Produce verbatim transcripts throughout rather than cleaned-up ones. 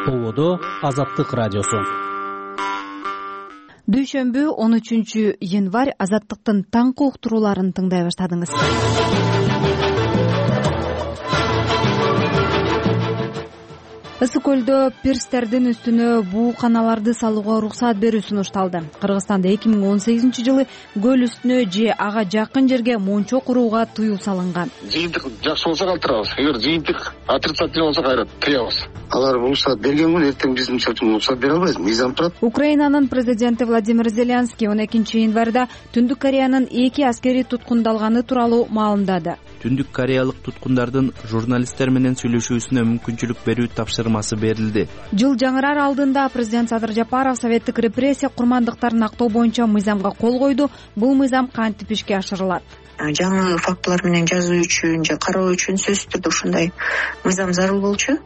Ободо Азаттык радиосу. Дүйшөмбү он үчүнчү январь Азаттыктын таңкы уктурууларын тыңдай баштадыңыз. Ысык көлдө пирстердин үстүнө бууканаларды салууга уруксат берүү сунушталды. Кыргызстанда эки миң он сегизинчи жылы көл үстүнө же ага жакын жерге мончо курууга тыюу салынган. Жыйынтык жакшы болсо калтырабыз, эгер жыйынтык отрицательный болсо кайра тыябыз. Алар уруксат берген күнү эртең биз мисалы үчүн уруксат бере албайбыз, мыйзам турат. Украинанын президенти Владимир Зеленский он экинчи январда Түндүк Кореянын эки аскери туткундалганы тууралуу маалымдады. Түндүк кореялык туткундардын журналисттер менен сүйлөшүүсүнө мүмкүнчүлүк берүү тапшырмасы берилди. Жыл жаңырар алдында президент Садыр Жапаров советтик репрессия курмандыктарын актоо боюнча мыйзамга кол койду. Бул мыйзам кантип ишке ашырылат? Жаңы фактылар менен жазуу үчүн же кароо үчүн сөзсүз түрдө ушундай мыйзам зарыл болчу.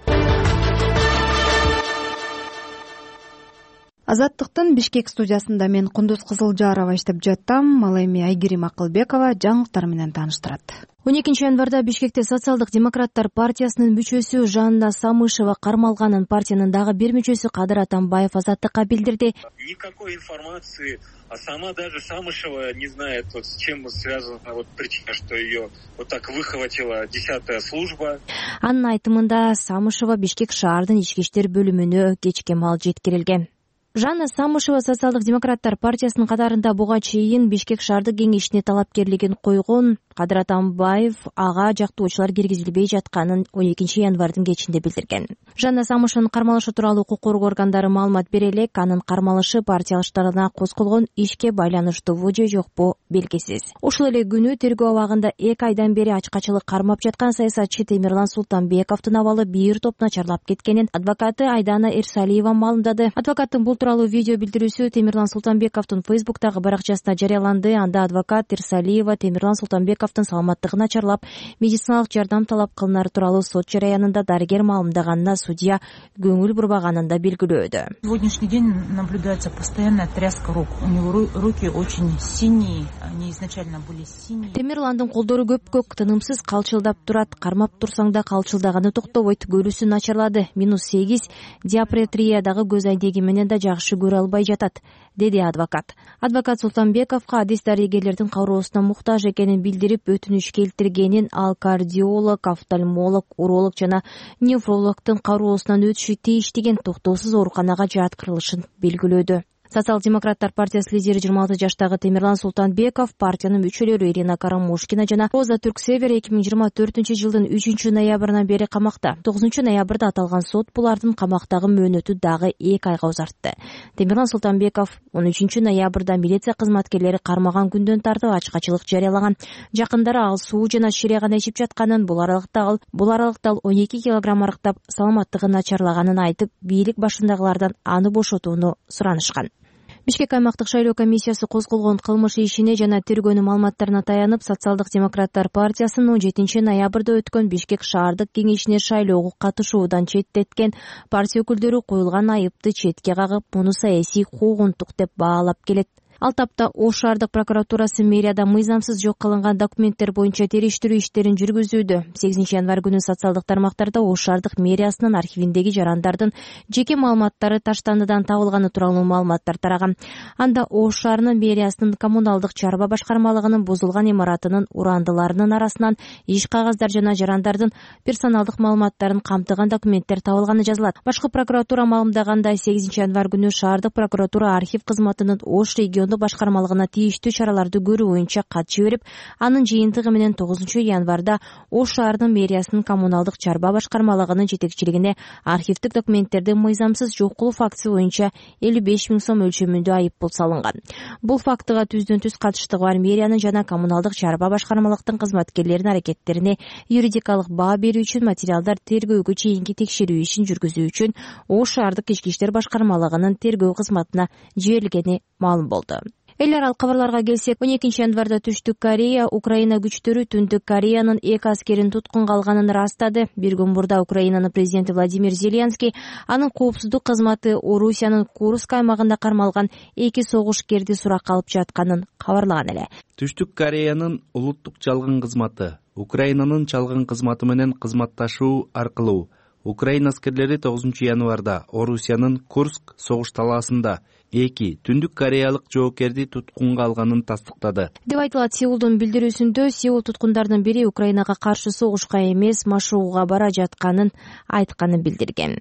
Азаттыктын Бишкек студиясында мен Кундуз Кызылжарова иштеп жаттам. Ал эми Айгерим Акылбекова жаңылыктар менен тааныштырат. он экинчи январда Бишкекте социалдык-демократтар партиясынын мүчөсү Жанна Самышева кармалганын партиянын дагы бир мүчөсү Кадыр Атамбаев Азаттыкка билдирди. Никакой информации, а сама даже Самышева не знает, вот с чем связана вот причина, что ее вот так выхватила десятая служба. Анын айтымында Самышева Бишкек шаардын ички иштер бөлүмүнө кечке маал жеткирилген. Жанна Самышева социалдык-демократтар партиясынын катарында буга чейин Бишкек шаардык кеңешине талапкерлигин койгон. Кадыр Атамбаев ага жактоочулар киргизилбей жатканын он экинчи январдын кечинде билдирген. Жанна Самышеванын кармалышы тууралуу укук коргоо органдары маалымат бере элек, анын кармалышы партиялаштарына козголгон ишке байланыштуубу же жокпу белгисиз. Ушул эле күнү тергөө абагында эки айдан бери ачкачылык кармап жаткан саясатчы Темирлан Султанбековдун абалы бир топ начарлап кеткенин адвокаты Айдана Эрсалиева маалымдады. Адвокаттын бул тууралуу видео билдирүүсү Темирлан Султанбековдун Фейсбуктагы баракчасында жарыяланды. Анда адвокат Эрсалиева Темирлан Султанбеков саламаттыгын начарлап, медициналык жардам талап кылынары тууралуу сот жараянында дарыгер маалымдаганына судья көңүл бурбаганын да белгилөөдө. Сегодняшний день наблюдается постоянная тряска рук. У него руки очень синие, они изначально были синие. Темирландын колдору көпкөк, тынымсыз калчылдап турат. Кармап турсаң да калчылдаганы токтобойт. Көрүүсү начарлады. минус сегиз диапретриядагы көз айнеги менен да жакшы көрө албай жатат, деди адвокат. Адвокат Султанбековго адис дарыгерлердин кабылуусуна муктаж экенин билдирип, өтүнүч келтиргенин, ал кардиолог, офтальмолог, уролог жана неврологдун кароосунан өтүшү тийиштигин, токтоосуз ооруканага жаткырылышын белгилөөдө. Социал-демократтар партиясы лидери жыйырма алты жаштагы Темирлан Султанбеков, партиянын мүчөлөрү Ирина Карамушкина жана Роза Түрксевер эки миң жыйырма төртүнчү жылдын үчүнчү ноябрынан бери камакта. тогузунчу ноябрда аталган сот булардын камактагы мөөнөтү дагы эки айга узартты. Темирлан Султанбеков он үчүнчү ноябрда милиция кызматкерлери кармаган күндөн тартып ачкачылык жарыялаган. Жакындары ал суу жана шире гана ичип жатканын, бул аралыкта ал бул аралыкта ал он эки килограмм арыктап саламаттыгын начарлаганын айтып, бийлик башындагылардан аны бошотууну суранышкан. Бишкек аймактык шайлоо комиссиясы козголгон кылмыш ишине жана тергөөнүн маалыматтарына таянып, социалдык-демократтар партиясынын он жетинчи ноябрда өткөн Бишкек шаардык кеңешине шайлоого катышуудан четтеткен партия өкүлдөрү коюлган айыпты четке кагып, муну саясий куугунтук деп баалап келет. Ал тапта Ош шаардык прокуратурасы мэрияда мыйзамсыз жок кылынган документтер боюнча териштирүү иштерин жүргүзүүдө. сегизинчи январь күнү социалдык тармактарда Ош шаардык мэриясынын архивиндеги жарандардын жеке маалыматтары таштандыдан табылганы тууралуу маалыматтар тараган. Анда Ош шаарынын мэриясынын коммуналдык чарба башкармалыгынын бузулган имаратынын урандыларынын арасынан иш кагаздар жана жарандардын персоналдык маалыматтарын камтыган документтер табылганы жазылат. Башкы прокуратура маалымдагандай, сегизинчи январь күнү шаардык прокуратура архив кызматынын Ош регион башкармалыгына тийиштүү чараларды көрүү боюнча кат жиберип, анын жыйынтыгы менен тогузунчу январда Ош шаарынын мэриясынын коммуналдык чарба башкармалыгынын жетекчилигине архивдик документтерди мыйзамсыз жок кылуу фактысы боюнча элүү беш миң сом өлчөмүндө айыппул салынган. Бул фактыга түздөн түз катыштыгы бар мэриянын жана коммуналдык чарба башкармалыктын кызматкерлеринин аракеттерине юридикалык баа берүү үчүн материалдар тергөөгө чейинки текшерүү ишин жүргүзүү үчүн Ош шаардык ички иштер башкармалыгынын тергөө кызматына жиберилгени маалым болду. Эл аралык кабарларга келсек, он экинчи январда Түштүк Корея Украина күчтөрү Түндүк Кореянын эки аскерин туткунга алганын растады. Бир күн мурда Украинанын президенти Владимир Зеленский анын коопсуздук кызматы Орусиянын Курск аймагында кармалган эки согушкерди суракка алып жатканын кабарлаган эле. Түштүк Кореянын улуттук чалгын кызматы Украинанын чалгын кызматы менен кызматташуу аркылуу Украина аскерлери тогузунчу январда Орусиянын Курск согуш талаасында эки Түндүк Кореялык жоокерди туткунга алганын тастыктады деп айтылат Сеулдун билдирүүсүндө. Сеул туткундардын бири Украинага каршы согушка эмес, машыгууга бара жатканын айтканын билдирген.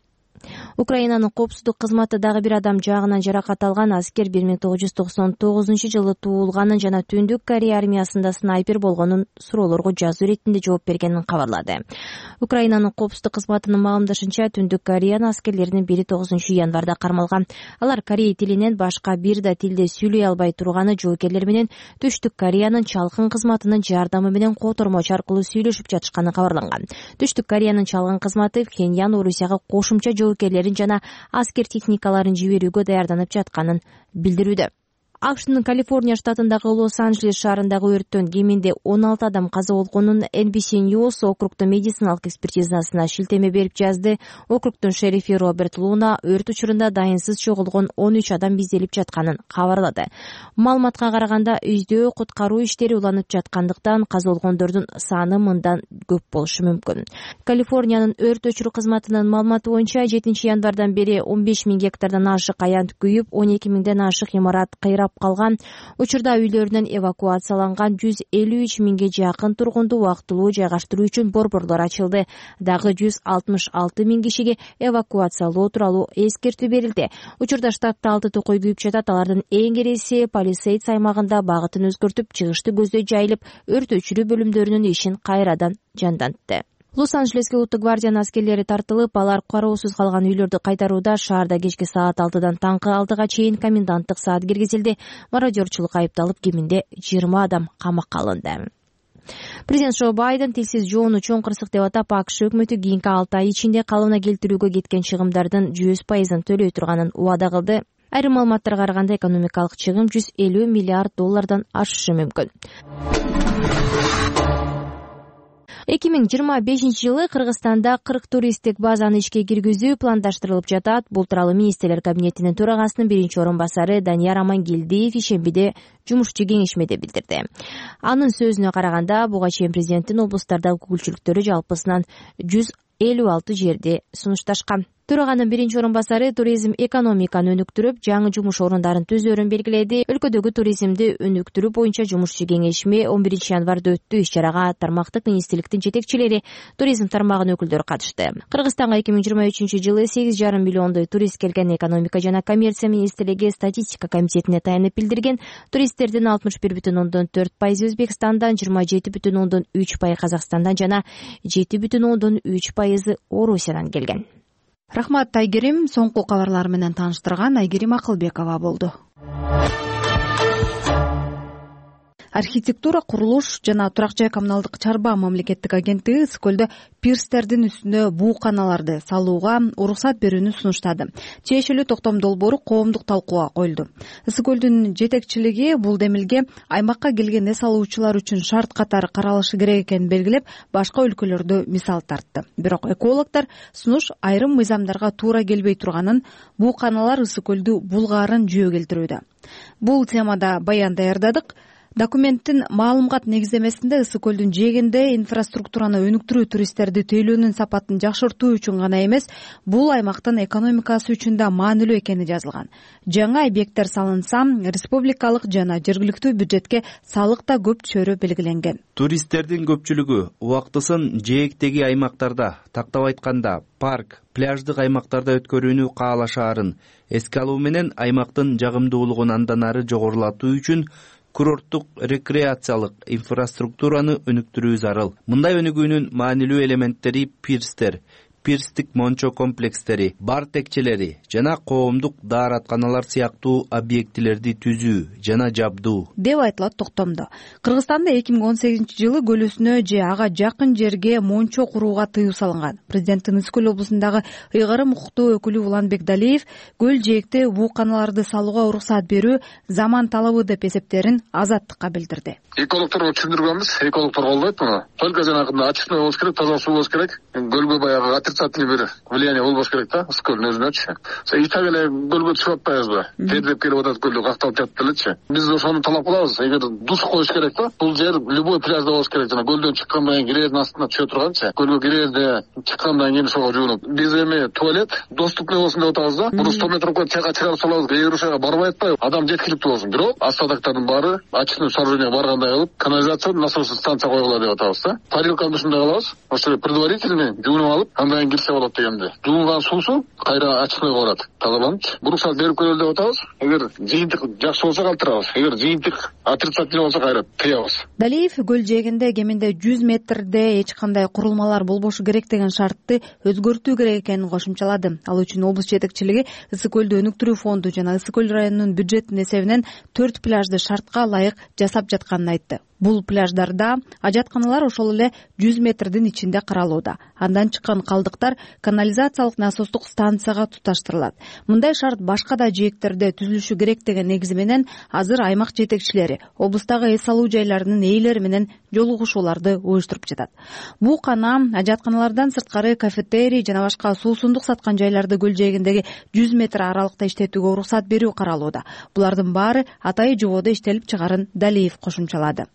Украинанын коопсуздук кызматы дагы бир адам жаагынан жаракат алган аскер бир миң тогуз жүз токсон тогузунчу жылы туулганын жана Түндүк Корея армиясында снайпер болгонун суроолорго жазуу иретинде жооп бергенин кабарлады. Украинанын коопсуздук кызматынын маалымдашынча, Түндүк Кореянын аскерлеринин бири тогузунчу январда кармалган. Алар корей тилинен башка бир да тилде сүйлөй албай турганы жоокерлер менен Түштүк Кореянын чалгын кызматынын жардамы менен котормочу аркылуу сүйлөшүп жатышканы кабарланган. Түштүк Кореянын чалгын кызматы Пхеньян Орусияга кошумча жоокерлерин жана аскер техникаларын жиберүүгө даярданып жатканын билдирүүдө. АКШнын Калифорния штатындагы Лос-Анджелес шаарындагы өрттөн кеминде он алты адам каза болгонун Эн Би Си News округдун медициналык экспертизасына шилтеме берип жазды. Округдун шерифи Роберт Луна өрт учурунда дайынсыз чогулгон он үч адам изделип жатканын кабарлады. Маалыматка караганда, үйдө куткаруу иштери уланып жаткандыктан каза болгондордун саны мындан көп болушу мүмкүн. Калифорниянын өрт өчүрүү кызматынын маалыматы боюнча, жетинчи январдан бери он беш миң гектардан ашык аянт күйүп, он эки миңден ашык имарат кыйрап калган. Учурда үйлөрүнөн эвакуацияланган жүз элүү үч миңге жакын тургунду убактылуу жайгаштыруу үчүн борборлор ачылды. Дагы жүз алтымыш алты миң кишиге эвакуациялоо тууралуу эскертүү берилди. Учурда штатта алты токой күйүп жатат. Алардын эң кереси Палисейдс аймагында багытын өзгөртүп, чыгышты көздөй жайылып, өрт өчүрүү бөлүмдөрүнүн ишин кайрадан жандантты. Лос-Анджелеске улуттук гвардиянын аскерлери тартылып, алар кароосуз калган үйлөрдү кайтарууда шаарда кечки саат алтыдан таңкы алтыга чейин коменданттык саат киргизилди. Мародёрчулукка айыпталып, кеминде жыйырма адам камакка алынды. Президент Джо Байден тилсиз жоону чоң кырсык деп атап, АКШ өкмөтү кийинки алты ай ичинде калыбына келтирүүгө кеткен чыгымдардын жүз пайызын төлөй турганын убада кылды. Айрым маалыматтарга караганда, экономикалык чыгым жүз элүү миллиард доллардан ашышы мүмкүн. эки миң жыйырма бешинчи жылы Кыргызстанда кырк туристтик базаны ишке киргизүү пландаштырылып жатат. Бул тууралуу министрлер кабинетинин төрагасынын биринчи орун басары Данияр Амангелдиев ишембиде жумушчу кеңешмеде билдирди. Анын сөзүнө караганда, буга чейин президенттин облустардагы өкүлчүлүктөрү жалпысынан жүз элүү алты жерде сунушташкан. Төраганын биринчи орун басары туризм экономиканы өнүктүрүп, жаңы жумуш орундарын түзөөрүн белгиледи. Өлкөдөгү туризмди өнүктүрүү боюнча жумушчу кеңешме он биринчи январда өттү. Иш-чарага тармактык министрликтин жетекчилери, туризм тармагынын өкүлдөрү катышты. Кыргызстанга эки миң жыйырма үчүнчү жылы сегиз жарым миллиондой турист келген. Экономика жана коммерция министрлиги статистика комитетине таянып билдирген, туристтердин алтымыш бир бүтүн ондон төрт пайызы Өзбекстандан, жыйырма жети бүтүн ондон үч пайызы Казакстандан жана жети бүтүн ондон үч пайызы Орусиядан келген. Рахмат, Айгерим. Соңку кабарлар менен тааныштырган Айгерим Акылбекова болду. Архитектура, курулуш жана турак жай коммуналдык чарба мамлекеттик агенттиги Ысык көлдө пирстердин үстүнө буу каналарды салууга уруксат берүүнү сунуштады. Чечилүү токтом долбоору коомдук талкууга коюлду. Ысык көлдүн жетекчилиги бул демилге аймакка келген эс алуучулар үчүн шарт катары каралышы керек экенин белгилеп, башка өлкөлөрдү мисал тартты. Бирок экологдор сунуш айрым мыйзамдарга туура келбей турганын, буу каналар Ысык көлдү булгаарын жөө келтирүүдө. Бул темада баян даярдадык. Документтин маалымат негиздемесинде Ысык көлдүн жээгинде инфраструктураны өнүктүрүү туристтерди тейлөөнүн сапатын жакшыртуу үчүн гана эмес, бул аймактын экономикасы үчүн да маанилүү экени жазылган. Жаңа объекттер салынса, республикалык жана жергиликтүү бюджетке салык да көп түшөрү белгиленген. Туристтердин көпчүлүгү убактысын жээктеги аймактарда, тактап айтканда парк, пляждык аймактарда өткөрүүнү каалашаарын эске алуу менен аймактын жагымдуулугун андан ары жогорулатуу үчүн курорттук рекреациялык инфраструктураны өнүктүрүү зарыл. Мындай өнүгүүнүн маанилүү элементтери пирстер, пирстик мончо комплекстери, бар текчелери жана коомдук дааратканалар сыяктуу объектилерди түзүү жана жабдуу деп айтылат токтомдо. Кыргызстанда эки миң он сегизинчи жылы көл үстүнө же ага жакын жерге мончо курууга тыюу салынган. Президенттин Ысык көл облусундагы ыйгарым укуктуу өкүлү Уланбек Далиев көл жээкте буу каналарды салууга уруксат берүү заман талабы деп эсептерин Азаттыкка билдирди. Экологторго түшүндүргөнбүз, экологтор колдойт муну. Только жанагындай ачык болуш керек, таза суу болуш керек. Көлгө баягы отрицательный бир влияние болбош керек да ысык көлдүн өзүнөчү. И так эле көлгө түшүп атпайбызбы? Тердеп келип атат көлдө какталып жатып элечи. Биз ошону талап кылабыз. Эгер душ коюш керек да, бул жер любой пляжда болуш керек. Жана көлдөн чыккандан кийин кирээздин астына түшө турганчы. Көлгө кирээзде чыккандан кийин ошого жуунуп. Биз эми туалет доступный болсун деп атабыз да. Муну сто метр коюп чайка чыгарып салабыз. Эгер ошого барбай атпайбы, адам жеткиликтүү болсун. Бирок остатоктордун баары очистной сооружение баргандай кылып, канализация насосный станция койгула деп атабыз да. Парилканы ушундай кылабыз. Ошо предварительный жуунуп алып, андан кийин кирсе болот дегенде. Жуунган суусу кайра очистнойго барат. Тазаланып, буруксат берип көрөлү деп атабыз. Эгер жыйынтык жакшы болсо калтырабыз. Эгер жыйынтык отрицательный болсо кайра тыябыз. Далиев көл жээгинде кеминде жүз метрде эч кандай курулмалар болбошу керек деген шартты өзгөртүү керек экенин кошумчалады. Ал үчүн облус жетекчилиги Ысык көлдү өнүктүрүү фонду жана Ысык көл районунун бюджетинин эсебинен төрт пляжды шартка ылайык жасап жатканын айтты. Бул пляждарда ажатканалар ошол эле жүз метрдин ичинде каралууда. Андан чыккан калдыктар канализациялык насостук станцияга туташтырылат. Мындай шарт башка да жээктерде түзүлүшү керек деген негизи менен азыр аймак жетекчилери облустагы эс алуу жайларынын ээлери менен жолугушууларды уюштуруп жатат. Буу кана ажатканалардан сырткары кафетерий жана башка суусундук саткан жайларды көл жээгиндеги жүз метр аралыкта иштетүүгө уруксат берүү каралууда. Булардын баары атайы жободо иштелип чыгарын Далиев кошумчалады.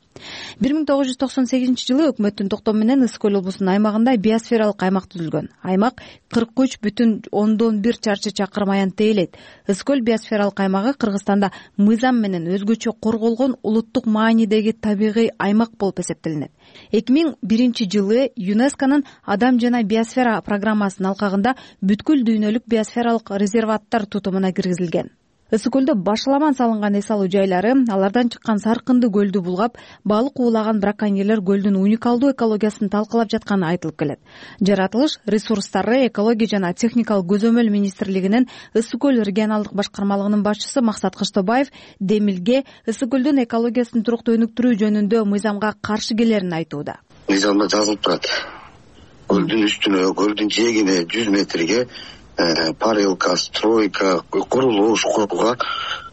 бир миң тогуз жүз токсон сегизинчи жылы өкмөттүн токтому менен Ысык көл облусунун аймагында биосфералык аймак түзүлгөн. Аймак кырк үч бүтүн ондон бир чарчы чакырым аянтты ээлейт. Ысык көл биосфералык аймагы Кыргызстанда мыйзам менен өзгөчө корголгон улуттук маанидеги табигый аймак болуп эсептелинет. эки миң биринчи жылы ЮНЕСКОнун Адам жана биосфера программасынын алкагында бүткүл дүйнөлүк биосфералык резерваттар тутумуна киргизилген. Ысык көлдө башаламан салынган эс алуу жайлары, алардан чыккан саркынды көлдү булгап, балык уулаган браконьерлер көлдүн уникалдуу экологиясын талкалап жатканы айтылып келет. Жаратылыш ресурстары, экология жана техникалык көзөмөл министрлигинин Ысык көл регионалдык башкармалыгынын башчысы Максат Кыштыбаев Демилге Ысык көлдүн экологиясын туруктуу өнүктүрүү жөнүндө мыйзамга каршы келерин айтууда. Мыйзамда жазылып турат. Көлдүн үстүнө, көлдүн жээгине жүз метрге парилка, стройка, курулуш курууга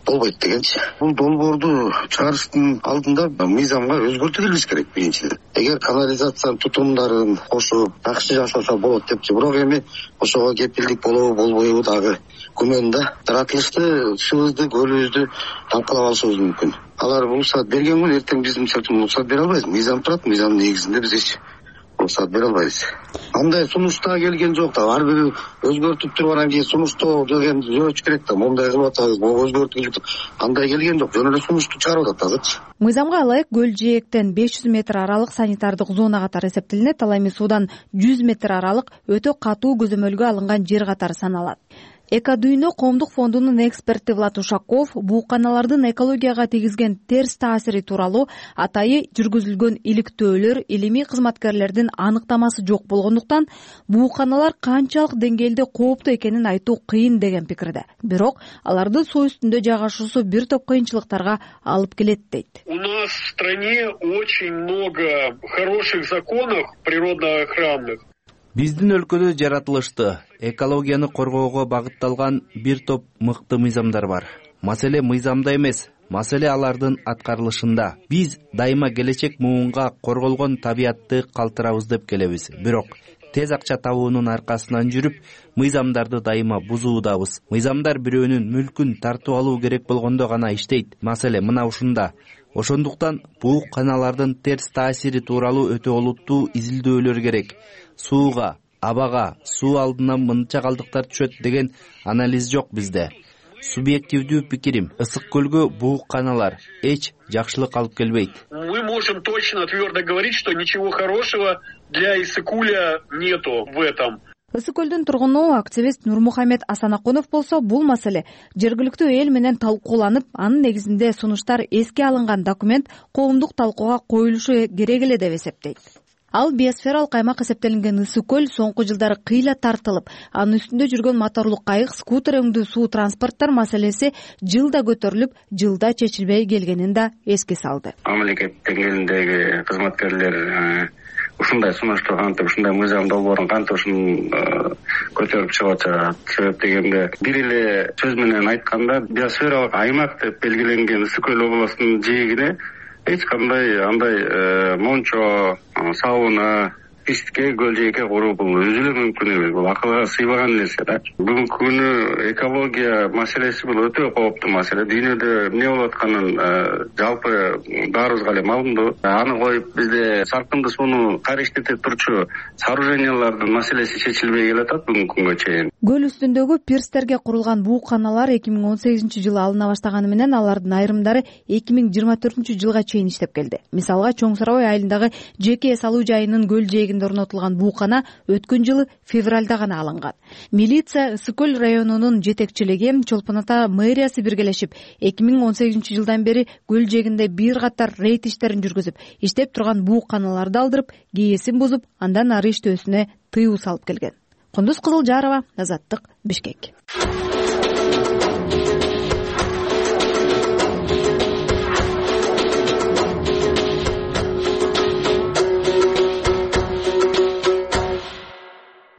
болбойт дегенчи. Бул долбоорду чыгарыштын алдында мыйзамга өзгөртүү киргизиш керек биринчиден. Эгер канализациянын тутумдарын кошуп жакшы жашаса болот депчи. Бирок эми ошого кепилдик болобу болбойбу дагы күмөн да. Жаратылышты, субузду, көлүбүздү талкалап алышыбыз мүмкүн. Алар уруксат берген күн эртең биз мисалы үчүн уруксат бере албайбыз. Мыйзам турат, мыйзамдын негизинде биз эч уруксат бере албайбыз. Андай сунуштаа келген жок да. Ар бири өзгөртүп тургандан кийин сунуштоо деген жөөч керек да. Мондай кылып атабыз, могу өзгөртүп андай келген жок. Жөн эле сунушту чыгарып атат азырчы. Мыйзамга ылайык көл жээктен беш жүз метр аралык санитардык зона катары эсептелинет. Ал эми суудан жүз метр аралык өтө катуу көзөмөлгө алынган жер катары саналат. Экодүйнө коомдук фондунун эксперти Влад Ушаков буу каналардын экологияга тийгизген терс таасири тууралуу атайы жүргүзүлгөн иликтөөлөр илимий кызматкерлердин аныктамасы жок болгондуктан буу каналар канчалык деңгээлде кооптуу экенин айтуу кыйын деген пикирде. Бирок алардын суу үстүндө жайгашуусу бир топ кыйынчылыктарга алып келет дейт. У нас в стране очень много хороших законов природоохранных. Биздин өлкөдө жаратылышты, экологияны коргоого багытталган бир топ мыкты мыйзамдар бар. Маселе мыйзамда эмес, маселе алардын аткарылышында. Биз дайыма келечек муунга корголгон табиятты калтырабыз деп келебиз. Бирок тез акча табуунун аркасынан жүрүп, мыйзамдарды дайыма бузуудабыз. Мыйзамдар бирөөнүн мүлкүн тартып алуу керек болгондо гана иштейт. Маселе мына ушунда. Ошондуктан буу каналардын терс таасири тууралуу өтө олуттуу изилдөөлөр керек. Сууга, абага, суу алдынан мынча калдыктар түшөт деген анализ жок бизде. Субъективдүү пикирим, Ысык көлгө буу каналар эч жакшылык алып келбейт. Мы можем точно твердо говорить, что ничего хорошего для Ысыккуля нету в этом. Ысык көлдүн тургуну активист Нурмухамед Асанакунов болсо бул маселе жергиликтүү эл менен талкууланып, анын негизинде сунуштар эске алынган документ коомдук талкууга коюлушу керек эле деп эсептейт. Ал биосфералык аймак эсептелинген Ысык көл соңку жылдары кыйла тартылып, анын үстүндө жүргөн моторлук кайык, скутер өңдүү суу транспорттор маселеси жылда көтөрүлүп, жылда чечилбей келгенин да эске салды. Мамлекет деңгээлиндеги кызматкерлер ушундай сунушту кантип, ушундай мыйзам долбоорун кантип ушун көтөрүп чыгып атышат. Себеп дегенде бир эле сөз менен айтканда, биосфералык аймак деп белгиленген Ысык көл областынын жээгине эч кандай андай мончо, сауна, пистке, көл жээкке куруу бул өзү эле мүмкүн эмес, бул акылга сыйбаган нерсе да. Бүгүнкү күнү экология маселеси бул өтө кооптуу маселе. Дүйнөдө эмне болуп атканын жалпы баарыбызга эле маалымдуу. Аны коюп бизде салкынды сууну кариштетип турчу сооружениялардын маселеси чечилбей келатат бүгүнкү күнгө чейин. Көл үстүндөгү пирстерге курулган бууканалар эки миң он сегизинчи жылы алына баштаганы менен алардын айрымдары эки миң жыйырма төртүнчү жылга чейин иштеп келди. Мисалга, Чоң Сарабай айылындагы жеке салуу жайынын көл жээгинде орнотулган буукана өткөн жылы февралда гана алынган. Милиция, Ысык көл районунун жетекчилиги, Чолпон Ата мэриясы биргелешип эки миң он сегизинчи жылдан бери көл жээгинде бир катар рейд иштерин жүргүзүп, иштеп турган бууканаларды алдырып, кээсин бузуп, андан ары иштөөсүнө тыюу салып келген. Кундуз Кызылжарова, Азаттык, Бишкек.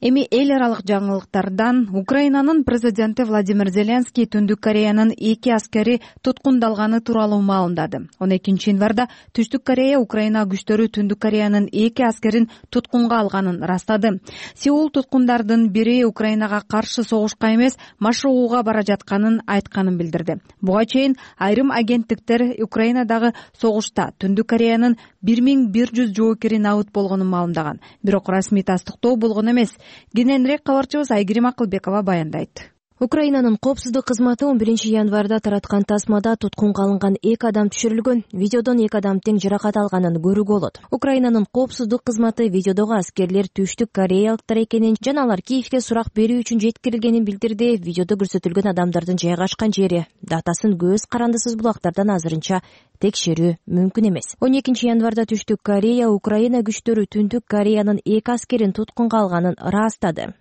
Эми эл аралык жаңылыктардан Украинанын президенти Владимир Зеленский Түндүк Кореянын эки аскери туткундалганы тууралуу маалымдады. он экинчи январда Түштүк Корея Украина күчтөрү Түндүк Кореянын эки аскерин туткунга алганын растады. Сеул туткундардын бири Украинага каршы согушка эмес, машыгууга бара жатканын айтканын билдирди. Буга чейин айрым агенттиктер Украинадагы согушта Түндүк Кореянын бир миң бир жүз жоокери набыт болгонун маалымдаган. Бирок расмий тастыктоо болгон эмес. Кененирээк кабарчыбыз Айгерим Акылбекова баяндайт. Украинанын коопсуздук кызматы он биринчи январда тараткан тасмада туткунга алынган эки адам түшүрүлгөн. Видеодон эки адам тең жаракат алганын көрүүгө болот. Украинанын коопсуздук кызматы видеодогу аскерлер Түштүк Кореялыктар экенин жана алар Киевге сурак берүү үчүн жеткирилгенин билдирди. Видеодо көрсөтүлгөн адамдардын жайгашкан жери, датасын көз карандысыз булактардан азырынча текшерүү мүмкүн эмес. он экинчи январда Түштүк Корея Украина күчтөрү Түндүк Кореянын эки аскерин туткунга алганын ырастады.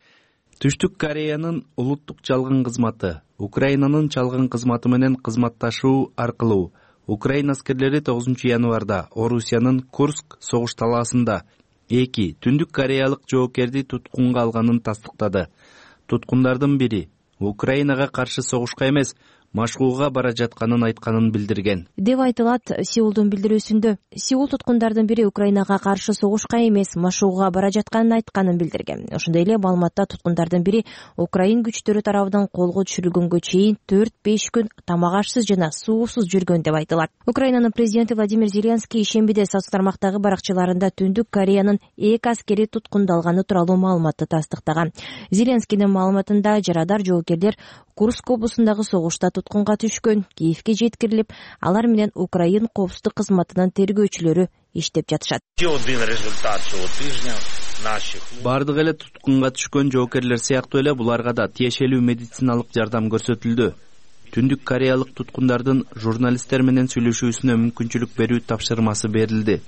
Түштүк Кореянын улуттук чалгын кызматы Украинанын чалгын кызматы менен кызматташуу аркылуу Украина аскерлери тогузунчу январда Орусиянын Курск согуш талаасында эки Түндүк Кореялык жоокерди туткунга алганын тастыктады. Туткундардын бири Украинага каршы согушка эмес, машыгууга бара жатканын айтканын билдирген деп айтылат Сеулдун билдирүүсүндө. Сеул туткундардын бири Украинага каршы согушка эмес, машыгууга бара жатканын айтканын билдирген. Ошондой эле маалыматта туткундардын бири Украин күчтөрү тарабынан колго түшүрүлгөнгө чейин төрт беш күн тамак ашсыз жана суусуз жүргөн деп айтылат. Украинанын президенти Владимир Зеленский ишембиде соц тармактагы баракчаларында Түндүк Кореянын эки аскери туткундалганы тууралуу маалыматты тастыктаган. Зеленскийдин маалыматында жарадар жоокерлер Курск облусундагы согушта туткунга түшкөн, Киевге жеткирилип, алар менен Украин коопсуздук кызматынын тергөөчүлөрү иштеп жатышат. Бардык эле туткунга түшкөн жоокерлер сыяктуу эле буларга да тиешелүү медициналык жардам көрсөтүлдү. Түндүк Кореялык туткундардын журналисттер менен сүйлөшүүсүнө мүмкүнчүлүк берүү тапшырмасы берилди.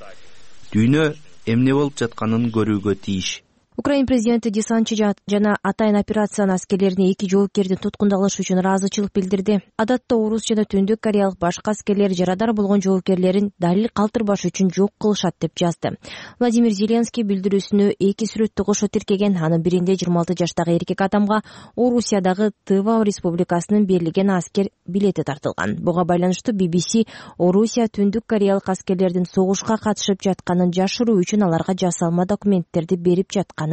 Дүйнө эмне болуп жатканын көрүүгө тийиш. Украин президенти десантчы жана атайын операциянын аскерлерине эки жоокердин туткундалышы үчүн ыраазычылык билдирди. Адатта орус жана Түндүк Кореялык башка аскерлер жарадар болгон жоокерлерин далил калтырбаш үчүн жок кылышат деп жазды. Владимир Зеленский билдирүүсүнө эки сүрөттү кошо тиркеген. Анын биринде жыйырма алты жаштагы эркек адамга Орусиядагы Тыва республикасынын берилген аскер билети тартылган. Буга байланыштуу би би си Орусия Түндүк Кореялык аскерлердин согушка катышып жатканын жашыруу үчүн аларга жасалма документтерди берип жаткан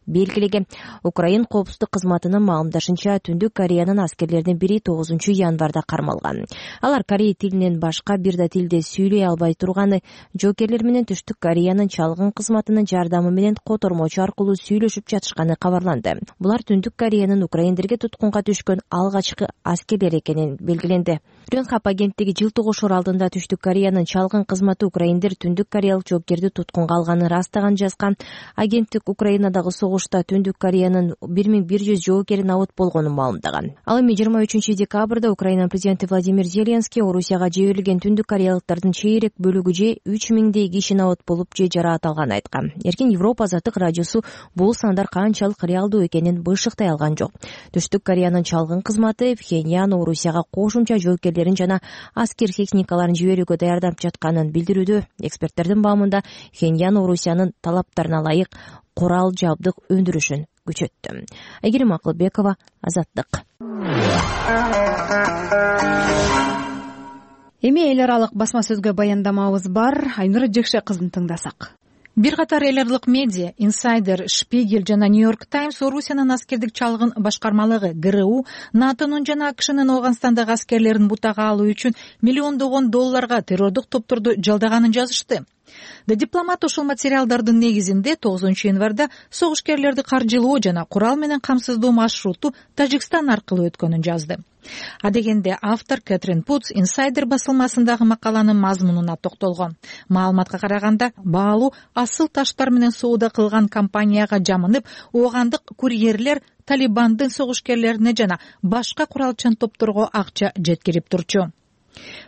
белгилеген. Украин коопсуздук кызматынын маалымдашынча Түндүк Кореянын аскерлеринин бири тогузунчу январда кармалган. Алар корей тилинен башка бир да тилде сүйлөй албай турганы, жоокерлер менен Түштүк Кореянын чалгын кызматынын жардамы менен котормочу аркылуу сүйлөшүп жатышканы кабарланды. Булар Түндүк Кореянын украиндерге туткунга түшкөн алгачкы аскерлер экенин белгиленди. Ренхап агенттиги жылтыгошор алдында Түштүк Кореянын чалгын кызматы украиндер Түндүк Кореялык жоокерди туткунга алганын растаган жазган. Агенттик Украинадагы согушта Түндүк Кореянын бир миң бир жүз жоокери набыт болгонун маалымдаган. Ал эми жыйырма үчүнчү декабрда Украина президенти Владимир Зеленский Орусияга жиберилген Түндүк Кореялыктардын чейрек бөлүгү же үч миңдей киши набыт болуп же жараат алганын айткан. Эркин Европа Азаттык радиосу бул сандар канчалык реалдуу экенин бышыктай алган жок. Түштүк Кореянын чалгын кызматы Пхеньян Орусияга кошумча жоокерлерин жана аскер техникаларын жиберүүгө даярдап жатканын билдирүүдө. Эксперттердин баамында Пхеньян Орусиянын талаптарына ылайык курал жабдык өндүрүшүн күчөттү. Айгерим Акылбекова, Азаттык. Эми эл аралык басма сөзгө баяндамабыз бар. Айнура Жекше кызын тыңдасак. бир катар эл аралык медиа Insider, Spiegel жана New York Times Орусиянын аскердик чалгын башкармалыгы ГРУ НАТОнун жана АКШнын Ооганстандагы аскерлерин бутага алуу үчүн миллиондогон долларга террордук топторду жалдаганын жазышты. The Diplomat ушул материалдардын негизинде тогузунчу январда согушкерлерди каржылоо жана курал менен камсыздоо маршруту Тажикстан аркылуу өткөнүн жазды. А дегенде автор Кэтрин Путс Insider басылмасындагы макаланын мазмунуна токтолгон. Маалыматка караганда, баалуу асыл таштар менен соода кылган компанияга жамынып, оогандык курьерлер Талибандын согушкерлерине жана башка куралчан топторго акча жеткирип турчу.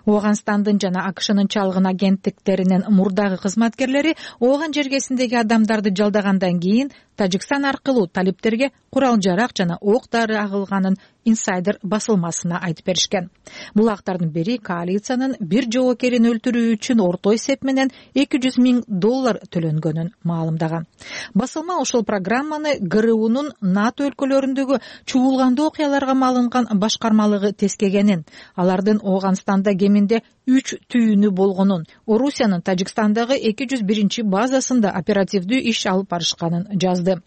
Ооганстандын жана АКШнын чалгын агенттиктеринин мурдагы кызматкерлери ооган жергесиндеги адамдарды жалдагандан кийин Тажикстан аркылуу талиптерге курал-жарак жана ок-дары агылганын Insider басылмасына айтып беришкен. Бул актардын бири коалициянын бир жоокерин өлтүрүү үчүн орто эсеп менен эки жүз миң доллар төлөнгөнүн маалымдаган. Басылма ошол программаны ГРУнун НАТО өлкөлөрүндөгү чуулгандуу окуяларга малынган башкармалыгы тескегенин, алардын Ооганстанда кеминде үч түйүнү болгонун, Орусиянын Тажикстандагы эки жүз биринчи базасында оперативдүү иш алып барышканын жазды.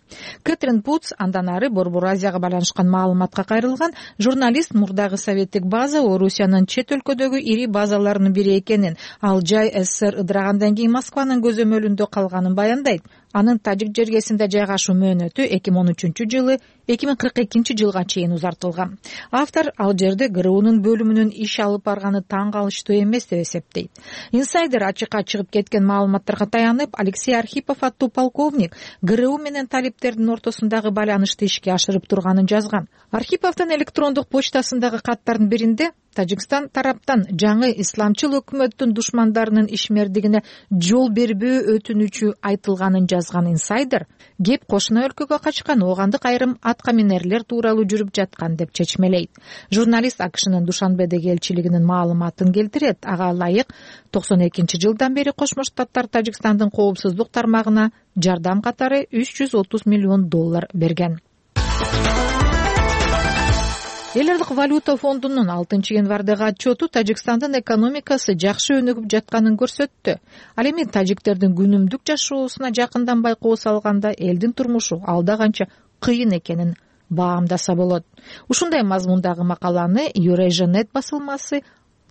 Кэтрин Путс андан ары Борбор Азияга байланышкан маалыматка кайрылган журналист мурдагы советтик база Орусиянын чет өлкөдөгү ири базаларынын бири экенин, ал жай СССР ыдырагандан кийин Москванын көзөмөлүндө калганын баяндайт. Анын Тажик жергесинде жайгашуу мөөнөтү эки миң он үчүнчү жылы эки миң кырк экинчи жылга чейин узартылган. Автор ал жерде ГРУнун бөлүмүнүн иш алып барганы таң калыштуу эмес деп эсептейт. Insider ачыкка чыгып кеткен маалыматтарга таянып, Алексей Архипов аттуу полковник ГРУ менен талиптердин ортосундагы байланышты ишке ашырып турганын жазган. Архиповдун электрондук почтасындагы каттардын биринде Тажикстан тараптан жаңы исламчыл өкмөттүн душмандарынын ишмердигине жол бербөө өтүнүчү айтылганын жазган Insider кеп кошуна өлкөгө качкан оогандык айрым аткаминерлер тууралуу жүрүп жаткан деп чечмелейт. Журналист АКШнын Душанбедеги элчилигинин маалыматын келтирет. Ага ылайык токсон экинчи жылдан бери Кошмо Штаттар Тажикстандын коопсуздук тармагына жардам катары үч жүз отуз миллион доллар берген. Эл аралык валюта фондунун алтынчы январдагы отчету Тажикстандын экономикасы жакшы өнүгүп жатканын көрсөттү. Ал эми тажиктердин күнүмдүк жашоосуна жакындан байкоо салганда элдин турмушу алда канча кыйын экенин баамдаса болот. Ушундай мазмундагы макаланы Eurasianet басылмасы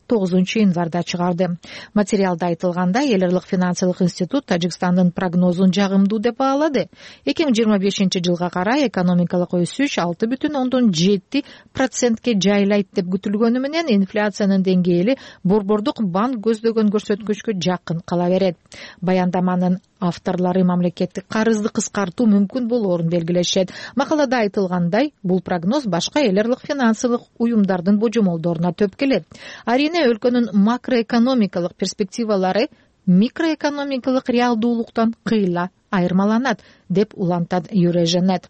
тогузунчу январда чыгарды. Материалда айтылгандай, эл аралык финансылык институт Тажикстандын прогнозун жагымдуу деп баалады. эки миң жыйырма бешинчи жылга карай экономикалык өсүш алты бүтүн ондон жети процентке жайлайт деп күтүлгөнү менен инфляциянын деңгээли Борбордук банк көздөгөн көрсөткүчкө жакын кала берет. Баяндаманын авторлору мамлекеттик карызды кыскартуу мүмкүн болоорун белгилешет. Макалада айтылгандай, бул прогноз башка эл аралык финансылык уюмдардын божомолдоруна төп келет. Арине өлкөнүн макроэкономикалык перспективалары микроэкономикалык реалдуулуктан кыйла айырмаланат деп улантат Eurasianet.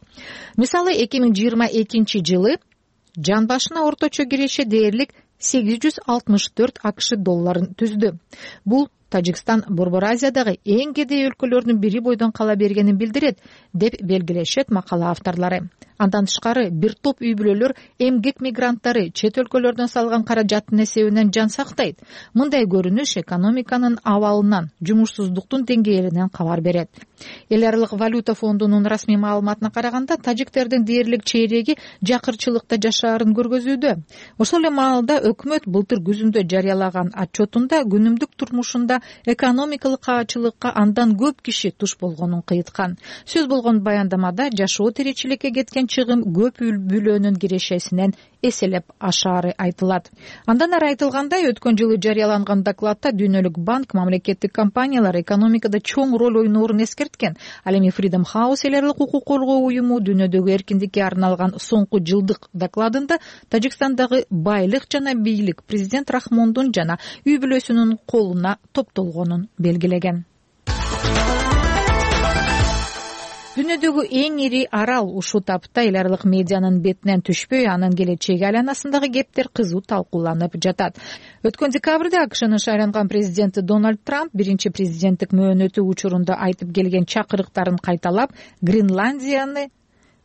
Мисалы, эки миң жыйырма экинчи жылы жан башына орточо киреше дээрлик сегиз жүз алтымыш төрт АКШ долларын түздү. Бул Тажикстан Борбор Азиядагы эң кедей өлкөлөрдүн бири бойдон кала бергенин билдирет деп белгилешет макала авторлору. Андан тышкары бир топ үй бүлөлөр эмгек мигранттары чет өлкөлөрдөн салган каражаттын эсебинен жан сактайт. Мындай көрүнүш экономиканын абалынан, жумушсуздуктун деңгээлинен кабар берет. Эл аралык валюта фондунун расмий маалыматына караганда, тажиктердин дээрлик чейреги жакырчылыкта жашаарын көргөзүүдө. Ошол эле маалда өкмөт былтыр күзүндө жарыялаган отчетунда күнүмдүк турмушунда экономикалык каачылыкка андан көп киши туш болгонун кыйткан. Сөз болгон баяндамада жашоо тиричиликке кеткен чыгым көп үй бүлөнүн кирешесинен эселеп ашаары айтылат. Андан ары айтылгандай, өткөн жылы жарыяланган докладта Дүйнөлүк банк мамлекеттик компаниялар экономикада чоң роль ойноорун эскерткен. Ал эми Freedom House эл аралык укук коргоо уюму дүйнөдөгү эркиндикке арналган соңку жылдык докладында Тажикстандагы байлык жана бийлик президент Рахмондун жана үй бүлөсүнүн колуна топтолгонун белгилеген. Дүйнөдөгү эң ири арал ушул тапта эл аралык медианын бетинен түшпөй, анын келечеги айланасындагы кептер кызуу талкууланып жатат. Өткөн декабрда АКШнын шайланган президенти Дональд Трамп биринчи президенттик мөөнөтү учурунда айтып келген чакырыктарын кайталап, Гренландияны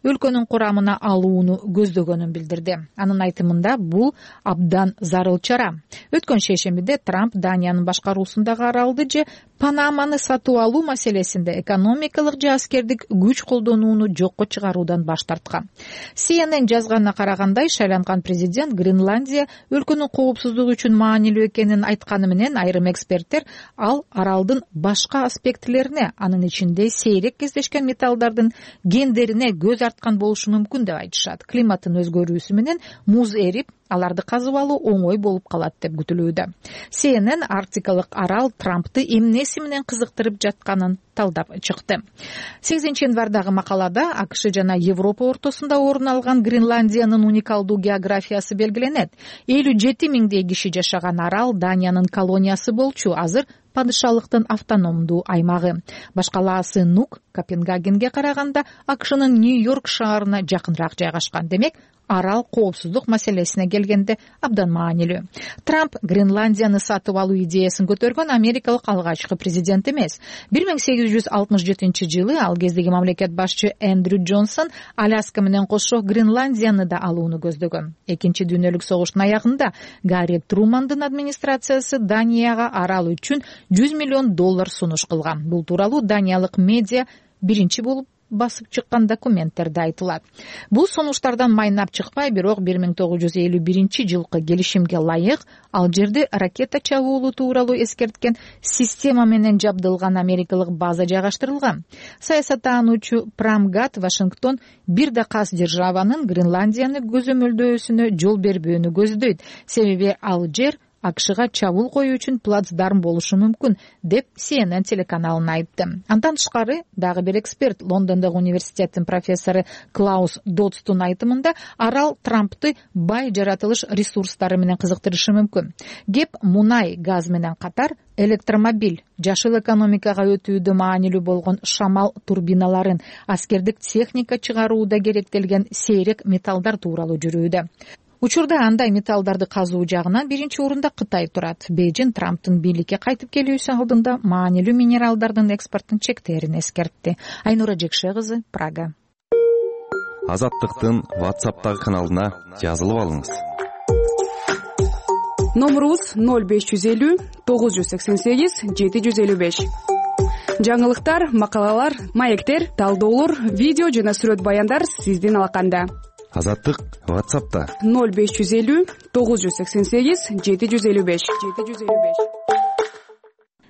өлкөнүн курамына алууну көздөгөнүн билдирди. Анын айтымында бул абдан зарыл чара. Өткөн шейшембиде Трамп Даниянын башкаруусундагы аралды же Панаманы сатып алуу маселесинде экономикалык же аскердик күч колдонууну жокко чыгаруудан баш тарткан. си эн эн жазганына караганда, шайланган президент Гренландия өлкөнүн коопсуздугу үчүн маанилүү экенин айтканы менен, айрым эксперттер ал аралдын башка аспектилерине, анын ичинде сейрек кездешкен металлдардын гендерине көз арткан болушу мүмкүн деп айтышат. Климаттын өзгөрүүсү менен муз эрип, аларды казып алуу оңой болуп калат деп күтүлүүдө. си эн эн арктикалык арал Трампты эмнеси менен кызыктырып жатканын талдап чыкты. сегизинчи январдагы макалада АКШ жана Европа ортосунда орун алган Гренландиянын уникалдуу географиясы белгиленет. элүү жети миңдей киши жашаган арал Даниянын колониясы болчу, азыр падышалыктын автономдуу аймагы. Башкалаасы Нук Копенгагенге караганда АКШнын Нью-Йорк шаарына жакыныраак жайгашкан. Демек, арал коопсуздук маселесине келгенде абдан маанилүү. Трамп Гренландияны сатып алуу идеясын көтөргөн америкалык алгачкы президент эмес. бир миң сегиз жүз алтымыш жетинчи жылы ал кездеги мамлекет башчы Эндрю Джонсон Аляска менен кошо Гренландияны да алууну көздөгөн. Экинчи дүйнөлүк согуштун аягында Гарри Трумандын администрациясы Данияга арал үчүн жүз миллион доллар сунуш кылган. Бул тууралуу даниялык медиа биринчи болуп басып чыккан документтерде айтылат. Бул сунуштардан майнап чыкпай, бирок бир миң тогуз жүз элүү биринчи жылкы келишимге ылайык ал жерде ракета чабуулу тууралуу эскерткен система менен жабдылган америкалык база жайгаштырылган. Саясаттануучу Прамгат Вашингтон бир да кас державанын Гренландияны көзөмөлдөөсүнө жол бербөөнү көздөйт, себеби ал жер АКШга чабуул коюу үчүн плацдарм болушу мүмкүн, деп си эн эн телеканалына айтты. Андан тышкары дагы бир эксперт, Лондондогу университеттин профессору Клаус Додстун айтымында, арал Трампты бай жаратылыш ресурстары менен кызыктырышы мүмкүн. Кеп мунай, газ менен катар электромобиль, жашыл экономикага өтүүдө маанилүү болгон шамал турбиналарын, аскердик техника чыгарууда керектелген сейрек металлдар тууралуу жүрүүдө. Учурда андай металлдарды казуу жагынан биринчи орунда Кытай турат. Бейжин Трамптын бийликке кайтып келүүсү алдында маанилүү минералдардын экспортун чектерин эскертти. Айнура Жекше кызы, Прага. Азаттыктын WhatsApp'тагы каналына жазылып алыңыз. Номерубуз ноль беш жүз элүү тогуз жүз сексен сегиз жети жүз элүү беш. Жаңылыктар, макалалар, маектер, талдоолор, видео жана сүрөт баяндар сиздин алаканда. Азаттык WhatsApp'та ноль беш жүз элүү тогуз жүз сексен сегиз жети жүз элүү беш.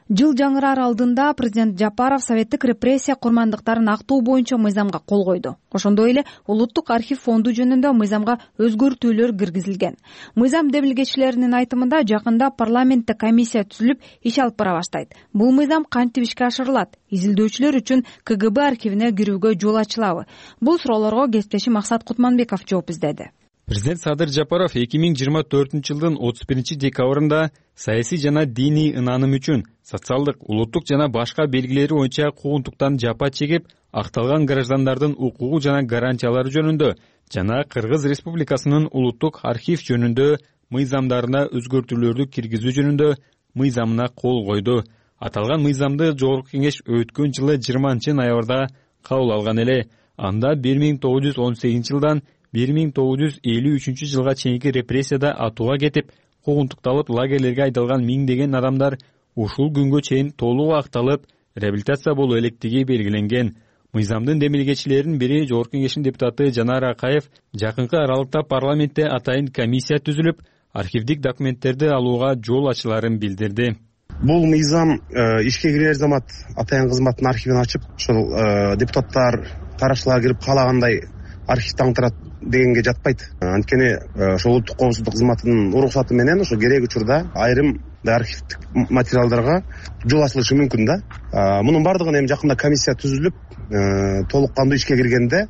Жыл жаңыраар алдында президент Жапаров советтик репрессия курмандыктарын актоо боюнча мыйзамга кол койду. Ошондой эле Улуттук архив фонду жөнүндө мыйзамга өзгөртүүлөр киргизилген. Мыйзам демилгечилеринин айтымында жакында парламентте комиссия түзүлүп иш алып бара баштайт. Бул мыйзам кантип ишке ашырылат? Изилдөөчүлөр үчүн ка гэ бэ архивине кирүүгө жол ачылабы? Бул суроолорго кесиптешим Максат Кутманбеков жооп издеди. Президент Садыр Жапаров эки миң жыйырма төртүнчү жылдын отуз биринчи декабрында саясий жана диний ынааным үчүн социалдык, улуттук жана башка белгилери боюнча куугунтуктан жапа чегип, акталган граждандардын укугу жана гарантиялары жөнүндө жана Кыргыз Республикасынын улуттук архив жөнүндө мыйзамдарына өзгөртүүлөрдү киргизүү жөнүндө мыйзамына кол койду. Аталган мыйзамды Жогорку Кеңеш өткөн жылы жыйырманчы ноябрда кабыл алган эле. Анда бир миң тогуз жүз он сегизинчи жылдан бир миң тогуз жүз элүү үчүнчү жылга чейинки репрессияда атууга кетип, куугунтукталып лагерлерге айдалган миңдеген адамдар ушул күнгө чейин толук акталып, реабилитация болуу электиги белгиленген. Мыйзамдын демилгечилеринин бири Жогорку Кеңештин депутаты Жанар Акаев жакынкы аралыкта парламентте атайын комиссия түзүлүп, архивдик документтерди алууга жол ачыларын билдирди. Бул мыйзам ишке кирер замат атайын кызматтын архивин ачып, ошол депутаттар, карашчылар кирип каалагандай архив таңтырат дегенге жатпайт. Анткени ошол улуттук коопсуздук кызматынын уруксаты менен ошо керек учурда айрым архивдик материалдарга жол ачылышы мүмкүн да. Мунун бардыгын эми жакында комиссия түзүлүп, толук кандуу ишке киргенде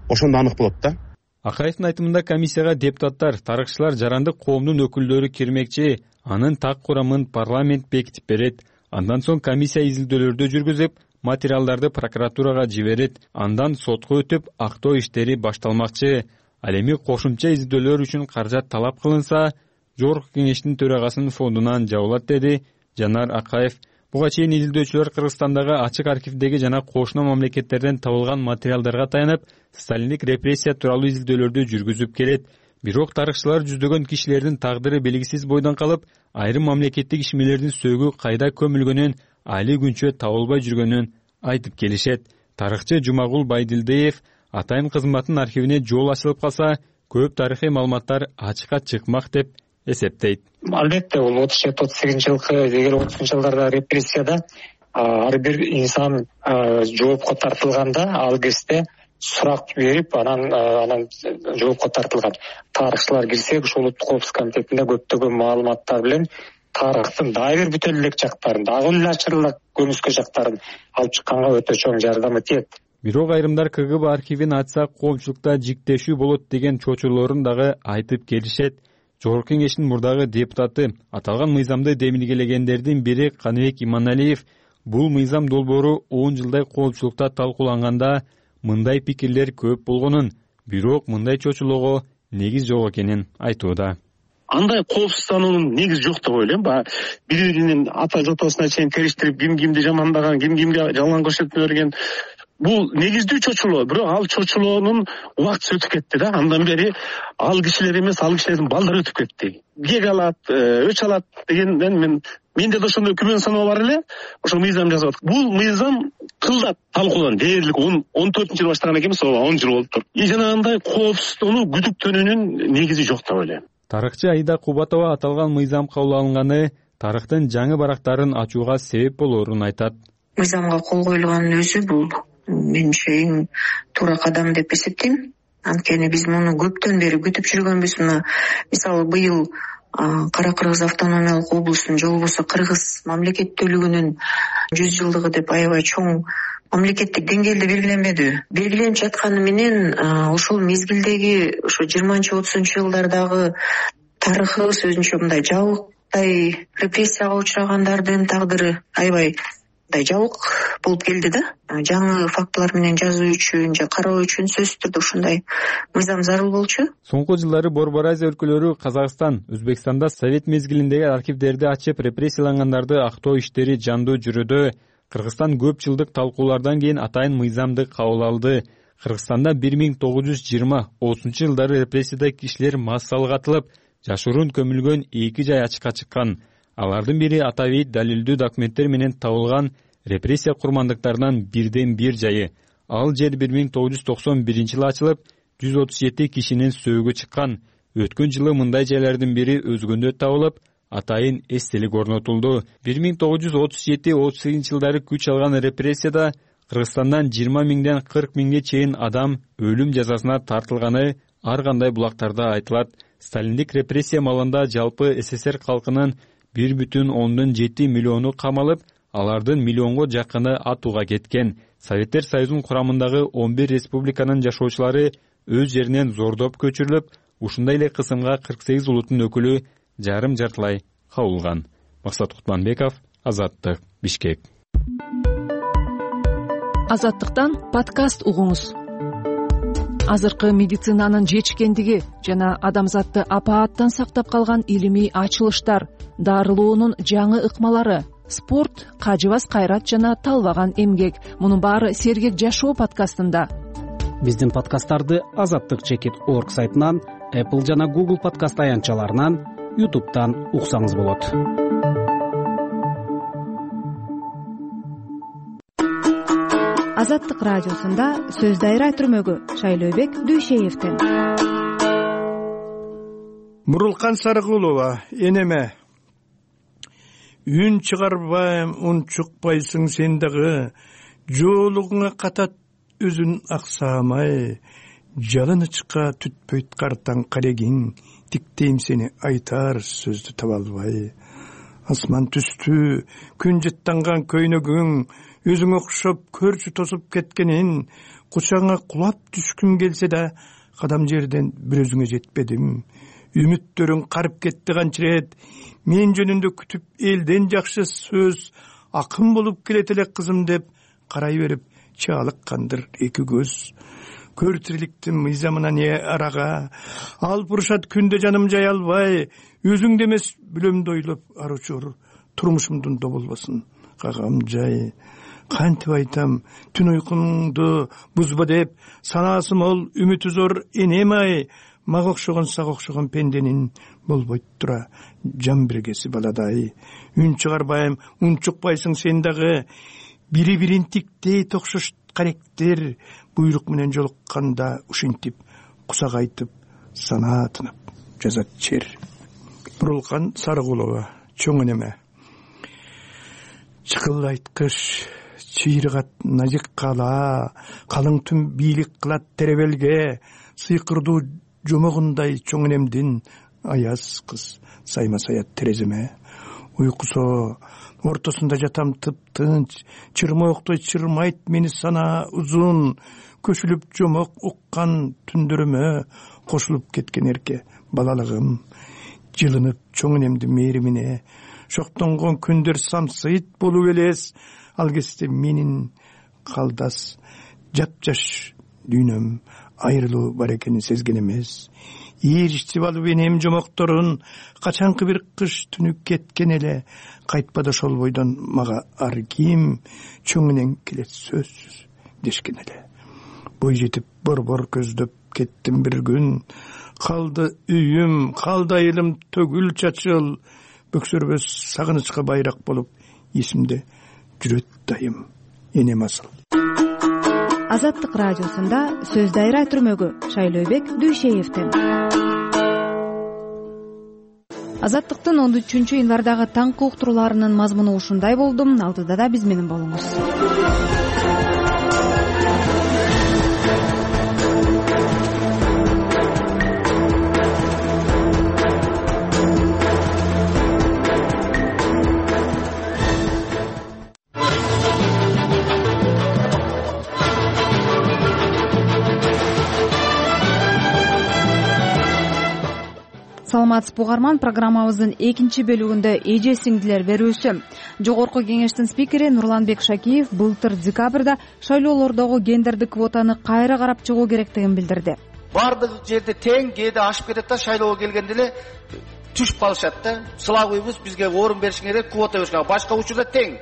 ошондо анык болот да. Акаевдин айтымында комиссияга депутаттар, тарыхчылар, жарандык коомдун өкүлдөрү кирмекчи, анын так курамын парламент бекитип берет. Андан соң комиссия изилдөөлөрдү жүргүзүп, материалдарды прокуратурага жиберет. Андан сотко өтүп, актоо иштери башталмакчы. Ал эми кошумча изилдөөлөр үчүн каражат талап кылынса, Жогорку Кеңештин төрагасынын фондунан жабылат, деди Жанар Акаев. Буга чейин изилдөөчүлөр Кыргызстандагы ачык архивдеги жана кошуна мамлекеттерден табылган материалдарга таянып, сталиндик репрессия тууралуу изилдөөлөрдү жүргүзүп келет. Бирок тарыхчылар жүздөгөн кишилердин тагдыры белгисиз бойдон калып, айрым мамлекеттик ишмерлердин сөөгү кайда көмүлгөнүн али күнчө табылбай жүргөнүн айтып келишет. Тарыхчы Жумагул Байдилдиев атайын кызматтын архивине жол ачылып калса, көп тарыхый маалыматтар ачыкка чыкмак деп эсептейт. Албетте, бул отуз жети отуз сегизинчи жылкы дегер отузунчу жылдарда репрессияда ар бир инсан жоопко тартылганда ал кезде сурак берип, анан анан жоопко тартылган. Тарыхчылар кирсек, ушул улуттук коопсуздук комитетинде көптөгөн маалыматтар менен тарыхтын дагы бир бүтө элек жактарын, дагы эле ачырылык көрүнүскө жактарын алып чыкканга өтө чоң жардамы тиет. Бирок айрымдар КГБ архивин ачса коомчулукта жиктешүү болот деген чочулоорун дагы айтып келишет. Жогорку кеңештин мурдагы депутаты, аталган мыйзамды демилгелегендердин бири Каныбек Иманалиев бул мыйзам долбоору он жылдай коомчулукта талкууланганда мындай пикирлер көп болгонун, бирок мындай чочулоого негиз жок экенин айтууда. Андай коопсуздануунун негизи жок деп ойлойм. Баягы бири-биринин ата жотосуна чейин териштирип, ким кимди жамандаган, ким кимге жалган көрсөтмө берген. Бул негиздүү чочулоо, бирок ал чочулоонун убактысы өтүп кетти да. Андан бери ал кишилер эмес, ал кишилердин балдары өтүп кетти. Кек алат, өч алат дегенден мен менде да ошондой күмөн саноо бар эле. Ошол мыйзам жазып атат. Бул мыйзам кылдат талкуулан дээрлик он төртүнчү жылы баштаган экенбиз, он жыл болуптур. И жанагындай коопсуздууну күдүктөнүүнүн негизи жок деп ойлойм. Тарыхчы Аида Кубатова аталган мыйзам кабыл алынганы тарыхтын жаңы барактарын ачууга себеп болоорун айтат. Мыйзамга кол коюлганын өзү бул менимче эң туура кадам деп эсептейм. Анткени биз муну көптөн бери күтүп жүргөнбүз. Мына мисалы быйыл Кара Кыргыз автономиялык облустун же болбосо Кыргыз мамлекеттүүлүгүнүн жүз жылдыгы деп аябай чоң мамлекеттик деңгээлде белгиленбедиби? Белгиленип жатканы менен ошол мезгилдеги ошо жыйырманчы отузунчу жылдардагы тарыхыбыз өзүнчө мындай жабыктай репрессияга учурагандардын тагдыры аябай мындай жабык болуп келди да. Жаңы фактылар менен жазуу үчүн же кароо үчүн сөзсүз түрдө ушундай мыйзам зарыл болчу. Соңку жылдары Борбор Азия өлкөлөрү Казакстан, Өзбекстанда Совет мезгилиндеги архивдерди ачып репрессиялангандарды актоо иштери жандуу жүрүүдө. Кыргызстан көп жылдык талкуулардан кийин атайын мыйзамды кабыл алды. Кыргызстанда бир миң тогуз жүз жыйырма отузунчу жылдары репрессияда кишилер массалык атылып, жашыруун көмүлгөн эки жай ачыкка чыккан. Алардын бири атабейт далилдүү документтер менен табылган репрессия курмандыктарынан бирден бир жайы. Ал жер бир миң тогуз жүз токсон биринчи жылы ачылып, жүз отуз жети кишинин сөөгү чыккан. Өткөн жылы мындай жайлардын бири өзгөндө табылып, атайын эстелик орнотулду. бир миң тогуз жүз отуз жети отуз сегизинчи жылдары күч алган репрессияда Кыргызстандан жыйырма миңден кырк миңге чейин адам өлүм жазасына тартылганы ар кандай булактарда айтылат. Сталиндик репрессия маалында жалпы СССР калкынын бир бүтүн ондон жети миллиону камалып, алардын миллионго жакыны атууга кеткен. Советтер Союзунун курамындагы он бир республиканын жашоочулары өз жеринен зордоп көчүрүлүп, ушундай эле кысымга кырк сегиз улуттун өкүлү жарым жартылай кабылган. Максат Кутманбеков, Азаттык, Бишкек. Азаттыктан подкаст угуңуз. Азыркы медицинанын жетишкендиги жана адамзатты апааттан сактап калган илимий ачылыштар, дарылоонун жаңы ыкмалары, спорт, кажыбас кайрат жана талбаган эмгек. Мунун баары Сергек жашоо подкастында. Биздин подкасттарды азаттык чекит точка орг сайтынан, Apple жана Google подкаст аянтчаларынан, YouTube'дан уксаңыз болот. Азаттык радиосунда сөз дайра түрмөгү Шайлообек Дүйшеевден. Мурулкан Сарыкулова, энеме. Үн чыгарбайм, ун чукпайсың сен дагы, жоолугуңа катат өзүн аксамай, жалынычка түтпөйт картаң карегиң, тиктейм сени айтар сөздү таба албай. Асман түстү, күн жыттанган көйнөгүң, өзүң окшоп көрчү тосуп кеткенин, кучаңа кулап түшкүм келсе да, кадам жерден бир өзүңө жетпедим. Үмүттөрүң карып кетти канчырет, мен жөнүндө күтүп элден жакшы сөз, акын болуп келет эле кызым деп карай берип чаалыккандыр эки көз. Көр тириликтин мыйзамына не арага, ал буршат күндө жаным жай албай, өзүңдө эмес бүлөмдү ойлоп аручур, турмушумдун доболбосун кагам жай. Кантип айтам, түн уйкуңду бузба деп, санаасы мол, үмүтү зор энем ай, мага окшогон сага окшогон пенденин болбойт тура жан бергеси баладай. Үн чыгарбайм, ун чукпайсың сен дагы. Бири бирин тиктей токшош каректер буйрук менен жолукканда ушинтип кусак айтып санаа тынып жазат чер. Бурулкан Сарыкулова, чоң энеме. Чыкылдайт кыш, чыйрыгат назик кала, калың түн бийлик кылат теребелге, сыйкырдуу жомогундай чоң энемдин аяз кыз сайма саят тереземе. Уйкусо ортосунда жатам тып-тынч, чырмооктой чырмайт мени сана узун, көшүлүп жомок уккан түндөрүмө кошулуп кеткен эрке балалыгым. Жылынып чоң энемдин мээримине, шоктонгон күндөр самсыйт болуп элес, ал кезде менин калдас жапжаш дүйнөм айрылуу бар экенин сезген эмес. Ийиричтип алып энем жомокторун, качанкы бир кыш түнү кеткен эле, кайтпады ошол бойдон мага ар ким, чоң энең келет сөзсүз дешкен эле. Бой жетип борбор көздөп кеттим бир күн, калды үйүм, калды айылым төгүл чачыл, бөксөрбөс сагынычка байрак болуп эсимде жүрөт дайым энем асыл. Азаттык радиосунда сөз дайра түрмөгү Шайлообек Дүйшеевден. Азаттыктын он үчүнчү январдагы таңкы уктурууларынын мазмуну ушундай болду. Алдыда да биз менен болуңуз. Саламатсызбы угарман, программабыздын экинчи бөлүгүндө эже сиңдилер берүүсү. Жогорку кеңештин спикери Нурланбек Шакиев былтыр декабрда шайлоолордогу гендердик квотаны кайра карап чыгуу керектигин билдирди. Бардык жерде тең, кээде ашып кетет да, шайлоого келгенде эле түшүп калышат да. Сылабыбыз бизге орун беришиң керек, квота беришиң. Башка учурда тең.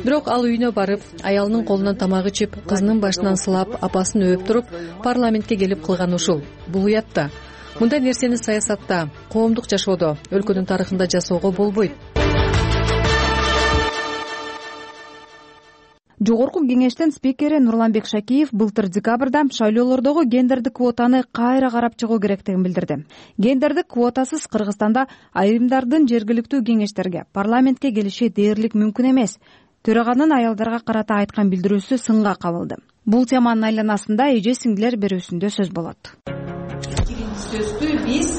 Бирок ал үйүнө барып, аялынын колунан тамак ичип, кызынын башынан сылап, апасын өөп туруп, парламентке келип кылган ушул. Бул уят да. Мындай нерсени саясатта, коомдук жашоодо, өлкөнүн тарыхында жасоого болбойт. Жогорку кеңештин спикери Нурланбек Шакиев былтыр декабрда шайлоолордогу гендердик квотаны кайра карап чыгуу керектигин билдирди. Гендердик квотасыз Кыргызстанда айрымдардын жергиликтүү кеңештерге, парламентке келиши дээрлик мүмкүн эмес. Төраганын аялдарга карата айткан билдирүүсү сынга кабылды. Бул теманын айланасында эже сиңдилер берүүсүндө сөз болот. Сөздү биз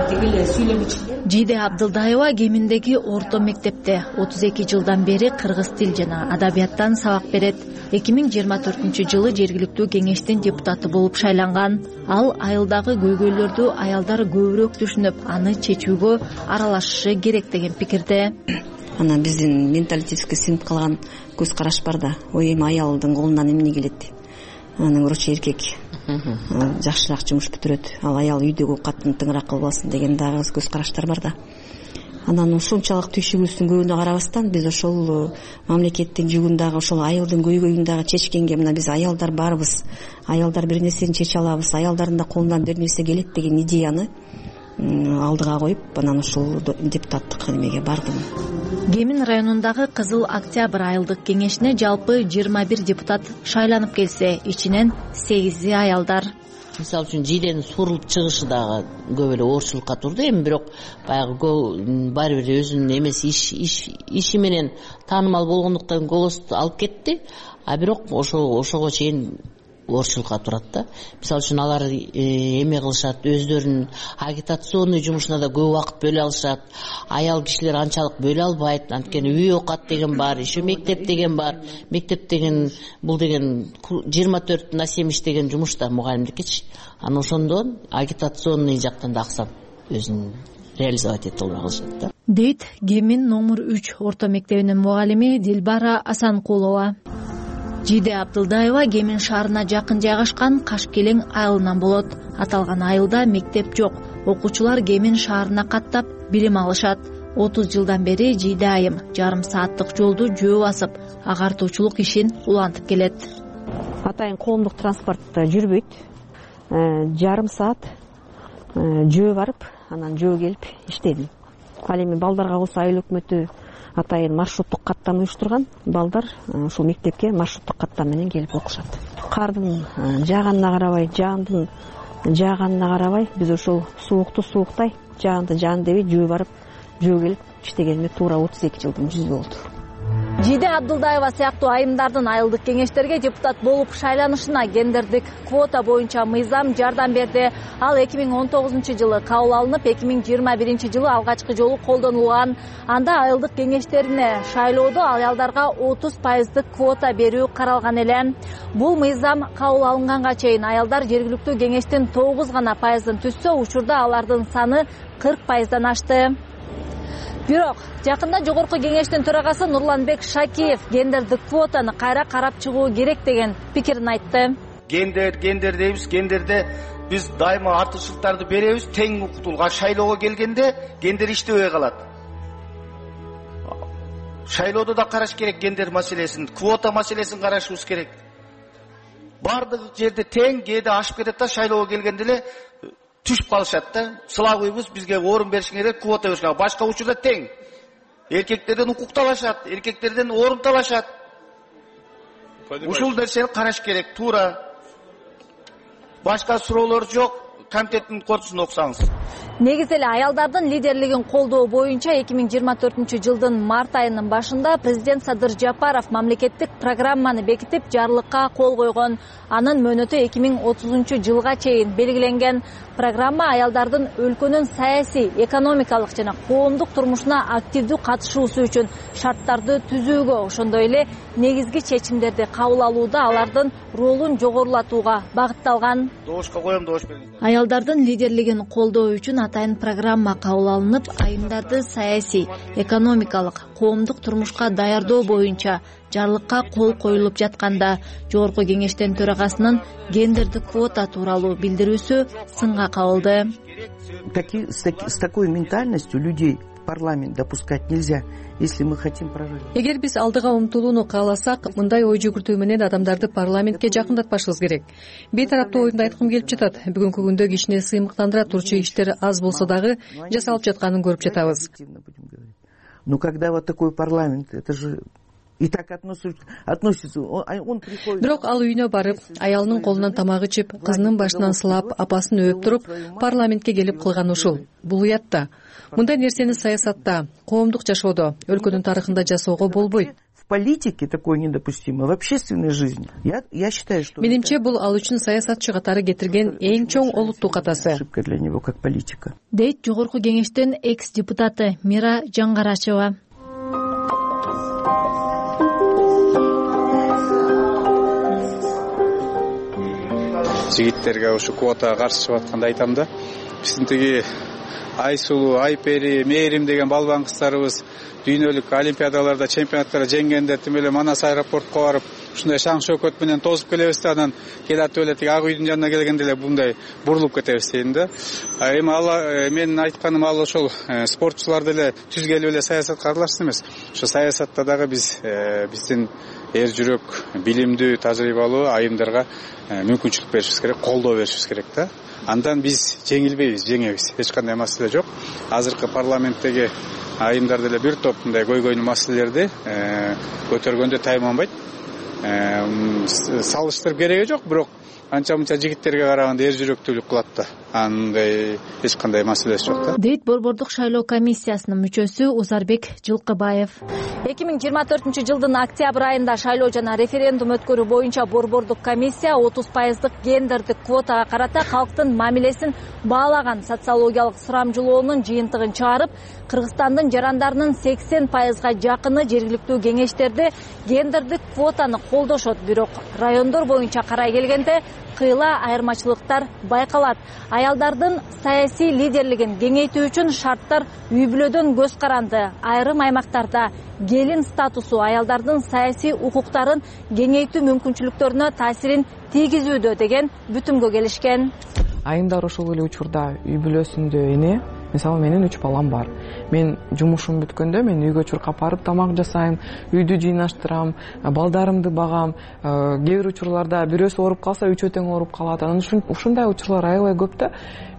тигиле сүйлөмүчү Жиде Абдылдаева Кеминдеги орто мектепте отуз эки жылдан бери кыргыз тил жана адабияттан сабак берет. эки миң жыйырма төртүнчү жылы жергиликтүү кеңештин депутаты болуп шайланган. Ал айылдагы көйгөйлөрдү аялдар көбүрөөк түшүнүп, аны чечүүгө аралашышы керек деген пикирде. Ана биздин менталитетке сиңип калган көз караш бар да. Ой, эми аялдын колунан эмне келет? Анын короче эркек жакшыраак жумуш бүтүрөт, ал аял үйдөгү катын тыңыраак кылбасын деген дагы көз караштар бар да. Анан ушунчалык түйшүгүбүздүн көбүнө карабастан биз ошол мамлекеттин жүгүн дагы, ошол айылдын көйгөйүн дагы чечкенге, мына биз аялдар барбыз, аялдар бир нерсени чече алабыз, аялдардын да колунан бир нерсе келет деген идеяны алдыга коюп, анан ушул депутаттык немеге бардым. Кемин районундагы Кызыл Октябрь айылдык кеңешине жалпы жыйырма бир депутат шайланып келсе, ичинен сегизи аялдар. Мисалы үчүн Жиденин сурулуп чыгышы дагы көп эле оорчулукка турду. Эми бирок баягы баары бир өзүнүн эмеси иш иш иши менен таанымал болгондуктан голос алып кетти. А бирок ошо ошого чейин оорчулукка турат да. Мисалы үчүн алар эме кылышат, өздөрүнүн агитационный жумушуна да көп убакыт бөлө алышат. Аял кишилер анчалык бөлө албайт. Анткени үй окат деген бар, еще мектеп деген бар. Мектеп деген бул деген жыйырма төрт на семь деген жумуш да мугалимдикичи. Аны ошондон агитационный жактан да аксап өзүн реализовать эте албай калышат да. Дейт Кемин номер үч орто мектебинин мугалими Дилбара Асанкулова. Жиде Абдылдаева Кемин шаарына жакын жайгашкан Кашкелең айылынан болот. Аталган айылда мектеп жок. Окуучулар Кемин шаарына каттап билим алышат. отуз жылдан бери Жиде айым жарым сааттык жолду жөө басып, агартуучулук ишин улантып келет. Атайын коомдук транспорт жүрбөйт. Жарым саат жөө барып анан жөө келип иштедим. Ал эми балдарга калса айыл өкмөтү атайын маршруттук каттама уюштурган. Балдар ушул мектепке маршруттук каттама менен келип окушат. Кардын жааганына карабай, жаандын жааганына карабай биз ушул суукту сууктай, жаанды жаан дебей жөө барып жөө келип иштегениме туура отуз эки жылдын жүзү болду. Жиде Абдулдаева сыяктуу айымдардын айылдык кеңештерге депутат болуп шайланышына гендердик квота боюнча мыйзам жардам берди. Ал эки миң он тогузунчу жылы кабыл алынып, эки миң жыйырма биринчи жылы алгачкы жолу колдонулган. Анда айылдык кеңештерине шайлоодо аялдарга отуз пайыздык квота берүү каралган эле. Бул мыйзам кабыл алынганга чейин аялдар жергиликтүү кеңештин тогуз гана пайызын түзсө, учурда алардын саны кырк пайыздан ашты. Бирок жакында жогорку кеңештин төрагасы Нурланбек Шакиев гендердик квотаны кайра карап чыгуу керек деген пикирин айтты. Гендер, гендер дейбиз, гендерде биз дайыма артыкчылыктарды беребиз, тең укуктуулукка шайлоого келгенде гендер иштебей калат. Шайлоодо да караш керек гендер маселесин, квота маселесин карашыбыз керек. Бардык жерде тең, кээде ашып кетет да шайлоого келгенде эле түшүп калышат да. Сылабыйбыз, бизге орун беришиң керек, квота беришиң. Башка учурда тең. Эркектерден укук талашат, эркектерден орун талашат. Ушул нерсени караш керек, туура. Башка суроолор жок. Комитеттин корутуусун окусаңыз. Негизи эле аялдардын лидерлигин колдоо боюнча эки миң жыйырма төртүнчү жылдын март айынын башында президент Садыр Жапаров мамлекеттик программаны бекитип, жарлыкка кол койгон. Анын мөөнөтү эки миң отузунчу жылга чейин белгиленген. Программа аялдардын өлкөнүн саясий, экономикалык жана коомдук турмушуна активдүү катышуусу үчүн шарттарды түзүүгө, ошондой эле негизги чечимдерди кабыл алууда алардын ролун жогорулатууга багытталган. Добушка коем, добуш бериңиздер. Аялдардын лидерлигин колдоо үчүн атайын программа кабыл алынып, айымдарды саясий, экономикалык, коомдук турмушка даярдоо боюнча жарлыкка кол коюлуп жатканда жогорку кеңештин төрагасынын гендердик квота тууралуу билдирүүсү сынга кабылды. С такой ментальностью людей в парламент допускать нельзя, если мы хотим прорыва. Эгер биз алдыга умтулууну кааласак, мындай ой жүгүртүү менен адамдарды парламентке жакындатпашыбыз керек. Бейтараптуу оюмду айткым келип жатат. Бүгүнкү күндө кишини сыймыктандыра турчу иштер аз болсо дагы жасалып жатканын көрүп жатабыз. Но когда вот такой парламент, это же и так относится, он приходит. Бирок ал үйүнө барып, аялынын колунан тамак ичип, кызынын башынан сылап, апасын өөп туруп, парламентке келип кылган ушул. Бул уят да. Мындай нерсени саясатта, коомдук жашоодо, өлкөнүн тарыхында жасоого болбойт. В политике такое недопустимо, в общественной жизни. Я, я считаю, что... Менимче, бул ал үчүн саясатчы катары кетирген эң чоң олуттук катасы. Ошибка для него как политика. Дейт жогорку кеңештин экс-депутаты Мира Жаңгарачева. Жигиттерге ушу квотага каршы чыгып атканда айтам да, биздин тиги Айсулуу, Айпери, Мээрим деген балбан кыздарыбыз дүйнөлүк олимпиадаларда, чемпионаттарда жеңгенде тим эле Манас аэропортко барып, ушундай шаң шөкөт менен тосуп келебиз да, анан келатып эле тиги Ак үйдүн жанына келгенде эле мындай бурулуп кетебиз дейм да. Эми ал менин айтканым ал ошол спортчуларды эле түзгелип эле саясатка аралашсын эмес. Ошо саясатта дагы биз биздин эр жүрөк, билимдүү, тажрыйбалуу айымдарга мүмкүнчүлүк беришибиз керек, колдоо беришибиз керек да. Андан биз жеңилбейбиз, жеңебиз. Эч кандай маселе жок. Азыркы парламенттеги айымдар деле бир топ мындай көйгөйнүү маселелерди көтөргөндө тайманбайт. Салыштырып кереги жок, бирок анча-мынча жигиттерге караганда эр жүрөктүүлүк кылат да. Андай эч кандай маселеси жок да. Дейт Борбордук шайлоо комиссиясынын мүчөсү Узарбек Жылкыбаев. эки миң жыйырма төртүнчү жылдын октябрь айында шайлоо жана референдум өткөрүү боюнча Борбордук комиссия отуз пайыздык гендердик квотага карата калктын мамилесин баалаган социологиялык сурамжылоонун жыйынтыгын чыгарып, Кыргызстандын жарандарынын сексен пайызга жакыны жергиликтүү кеңештерде гендердик квотаны колдошот. Бирок райондор боюнча карай келгенде кыйла айырмачылыктар байкалат. Аялдардын саясий лидерлигин кеңейтүү үчүн шарттар үй бүлөдөн көз каранды. Айрым аймактарда келин статусу аялдардын саясий укуктарын кеңейтүү мүмкүнчүлүктөрүнө таасирин тийгизүүдө деген бүтүмгө келишкен. Айымдар ошол эле учурда үй бүлөсүндө эне, мисалы менин үч балам бар. Мен жумушум бүткөндө мен үйгө чуркап барып тамак жасайм, үйдү жыйнаштырам, балдарымды багам. Кээ бир учурларда бирөөсү ооруп калса үчөө тең ооруп калат. Анан ушундай учурлар аябай көп да.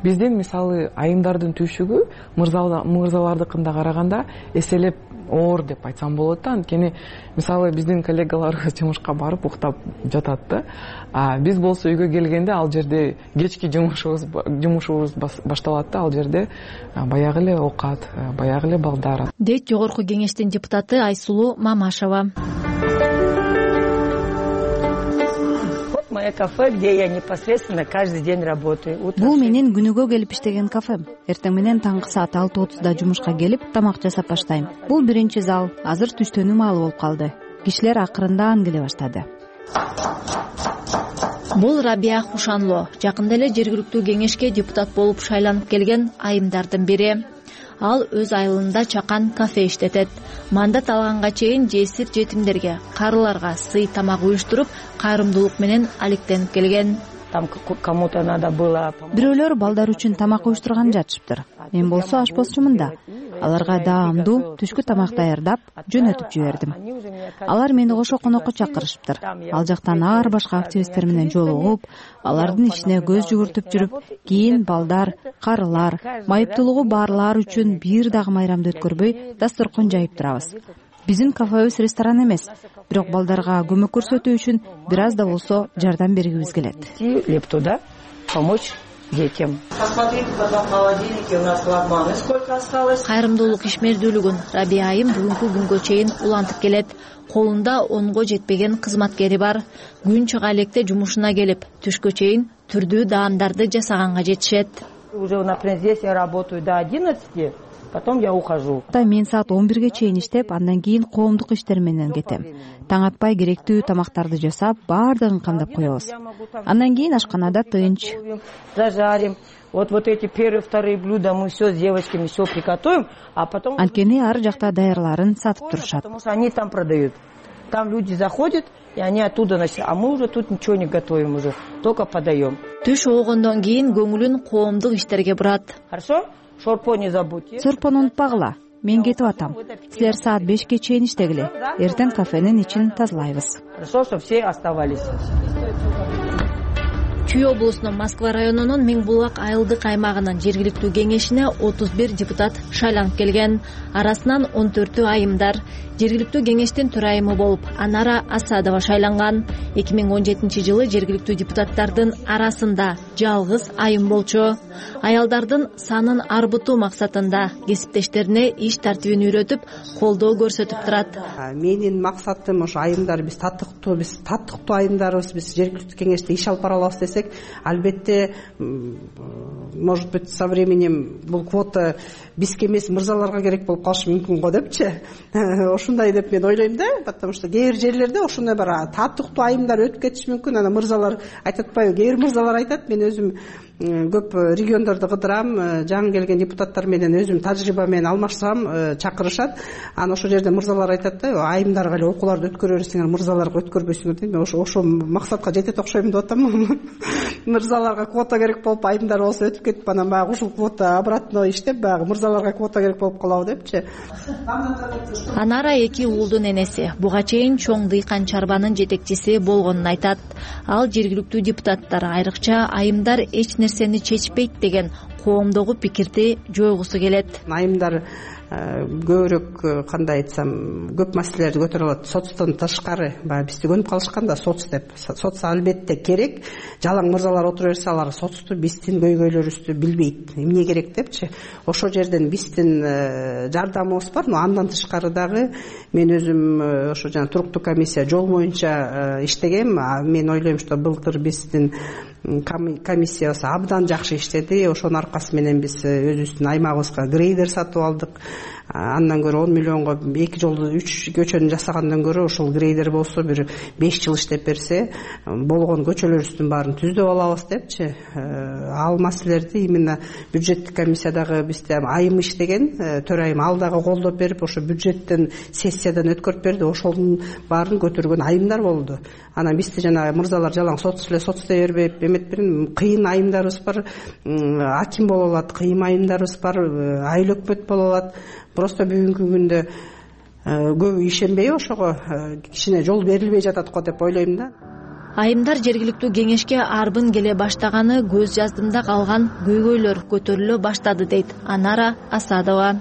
Биздин мисалы айымдардын түйшүгү мырзалардыкына караганда эселеп оор деп айтсам болот да. Анткени мисалы биздин коллегаларыбыз жумушка барып уктап жатат да. А биз болсо үйгө келгенде ал жерде кечки жумушубуз жумушубуз башталат да. Ал жерде баягы эле оокат, баягы эле балдар. Дейт жогорку кеңештин депутаты Айсулуу Мамашева. Мое кафе, где я непосредственно каждый день работаю. Бул менин күнүгө келип иштеген кафем. Эртең менен таңкы саат алты отузда жумушка келип тамак жасап баштайм. Бул биринчи зал. Азыр түштөнүү маалы болуп калды. Кишилер акырындан келе баштады. Бул Рабия Хушанло, жакында эле жергиликтүү кеңешке депутат болуп шайланып келген айымдардын бири. Ал өз айылында чакан кафе иштетет. Мандат алганга чейин жесир жетимдерге, карыларга сый тамак уюштуруп, кайрымдуулук менен алектенип келген. Там кому-то надо было. Бирөөлөр балдар үчүн тамак уюштурган жатышыптыр. Мен болсо ашпозчумун да. Аларга даамдуу түшкү тамак даярдап, жөнөтүп жибердим. Алар мени кошо конокко чакырышыптыр. Ал жактан ар башка активисттер менен жолугуп, алардын ишине көз жүгүртүп жүрүп, кийин балдар, карылар, майыптуулугу барлар үчүн бир дагы майрамды өткөрбөй дасторкон жайып турабыз. Биздин кафебиз ресторан эмес, бирок балдарга көмөк көрсөтүү үчүн бир аз да болсо жардам бергибиз келет. Лепту, да? Помочь детям. Посмотрите, потом в холодильнике у нас лагманы сколько осталось. Кайрымдуулук ишмердүүлүгүн Рабия айым бүгүнкү күнгө чейин улантып келет. Колунда онго жетпеген кызматкери бар. Күн чыга электе жумушуна келип, түшкө чейин түрдүү даамдарды жасаганга жетишет. Уже, например, здесь я работаю до одиннадцати. Потом я ухожу. Мен саат он бирге чейин иштеп, андан кийин коомдук иштер менен кетем. Таң атпай керектүү тамактарды жасап, баардыгын камдап коебуз. Андан кийин ашканада тынч. Зажарим. Вот вот эти первые, вторые блюда мы все с девочками все приготовим, а потом. Анткени ар жакта даярларын сатып турушат. Потому что они там продают. Там люди заходят, и они оттуда носят. А мы уже тут ничего не готовим уже, только подаем. Түш оогондон кийин көңүлүн коомдук иштерге бурат. Хорошо? Шорпо не забудьте. Сорпону унутпагыла. Мен кетип атам. Силер саат бешке чейин иштегиле. Эртең кафенин ичин тазалайбыз. Хорошо, чтобы все оставались. Чүй облусунун Москва районунун Миң Булак айылдык аймагынын жергиликтүү кеңешине отуз бир депутат шайланып келген. Арасынан он төртү айымдар. Жергиликтүү кеңештин төрайымы болуп Анара Асадова шайланган. эки миң он жетинчи жылы жергиликтүү депутаттардын арасында жалгыз айым болчу. Аялдардын санын арбытуу максатында кесиптештерине иш тартибин үйрөтүп, колдоо көрсөтүп турат. Менин максатым ошо айымдар биз татыктуу, биз татыктуу айымдарбыз, биз жергиликтүү кеңеште иш алып бара алабыз десек, албетте, может быть, со временем бул квота бизге эмес мырзаларга керек болуп калышы мүмкүн го депчи. Ушундай деп мен ойлойм да, потому что кээ бир жерлерде ошондой бар татыктуу айымдар өтүп кетиши мүмкүн. Анан мырзалар айтат атпайбы? Кээ бир мырзалар айтат, мен өзүм көп региондорду кыдырам, жаңы келген депутаттар менен өзүм тажрыйба менен алмашсам, чакырышат. Анан ошол жерде мырзалар айтат да, айымдарга эле окууларды өткөрө берсеңер, мырзаларга өткөрбөйсүңөр дейт. Мен ошо ошо максатка жетет окшойм деп атам. Мырзаларга квота керек болуп, айымдар болсо өтүп кетип, анан баягы ушул квота обратно иштеп, баягы мырзаларга квота керек болуп калабы депчи. Анара эки уулдун энеси. Буга чейин чоң дыйкан чарбанын жетекчиси болгонун айтат. Ал жергиликтүү депутаттар, айрыкча айымдар эч нерсени чечпейт деген коомдогу пикирди жойгусу келет. Айымдар көбүрөөк, кандай айтсам, көп маселелерди көтөрө алат. Соцтон тышкары, баягы бизди көнүп калышкан да соц деп. Соц албетте керек. Жалаң мырзалар отура берсе, алар соцту, биздин көйгөйлөрүбүздү билбейт. Эмне керек депчи. Ошол жерден биздин жардамыбыз бар, но андан тышкары дагы мен өзүм ошо жана туруктуу комиссия жол боюнча иштегем. Мен ойлойм, что былтыр биздин комиссиябыз абдан жакшы иштеди. Ошонун аркасы менен биз өзүбүздүн аймагыбызга грейдер сатып алдык. Андан көрө он миллионго эки жолду үч көчөнү жасагандан көрө ошол грейдер болсо бир беш жыл иштеп берсе, болгон көчөлөрүбүздүн баарын түздөп алабыз депчи. Ал маселелерди именно бюджеттик комиссиядагы бизде айым иштеген, төрайым ал дагы колдоп берип, ошо бюджеттен сессиядан өткөрүп берди. Ошонун баарын көтөргөн айымдар болду. Анан бизди жана мырзалар жалаң соц эле соц дей бербейт, эметпирин. Кыйын айымдарыбыз бар, аким боло алат, кыйын айымдарыбыз бар, айыл өкмөт боло алат. Просто бүгүнкү күндө көбү ишенбей ошого кичине жол берилбей жатат го деп ойлойм да. Айымдар жергиликтүү кеңешке арбын келе баштаганы көз жаздымда калган көйгөйлөр көтөрүлө баштады дейт Анара Асадова.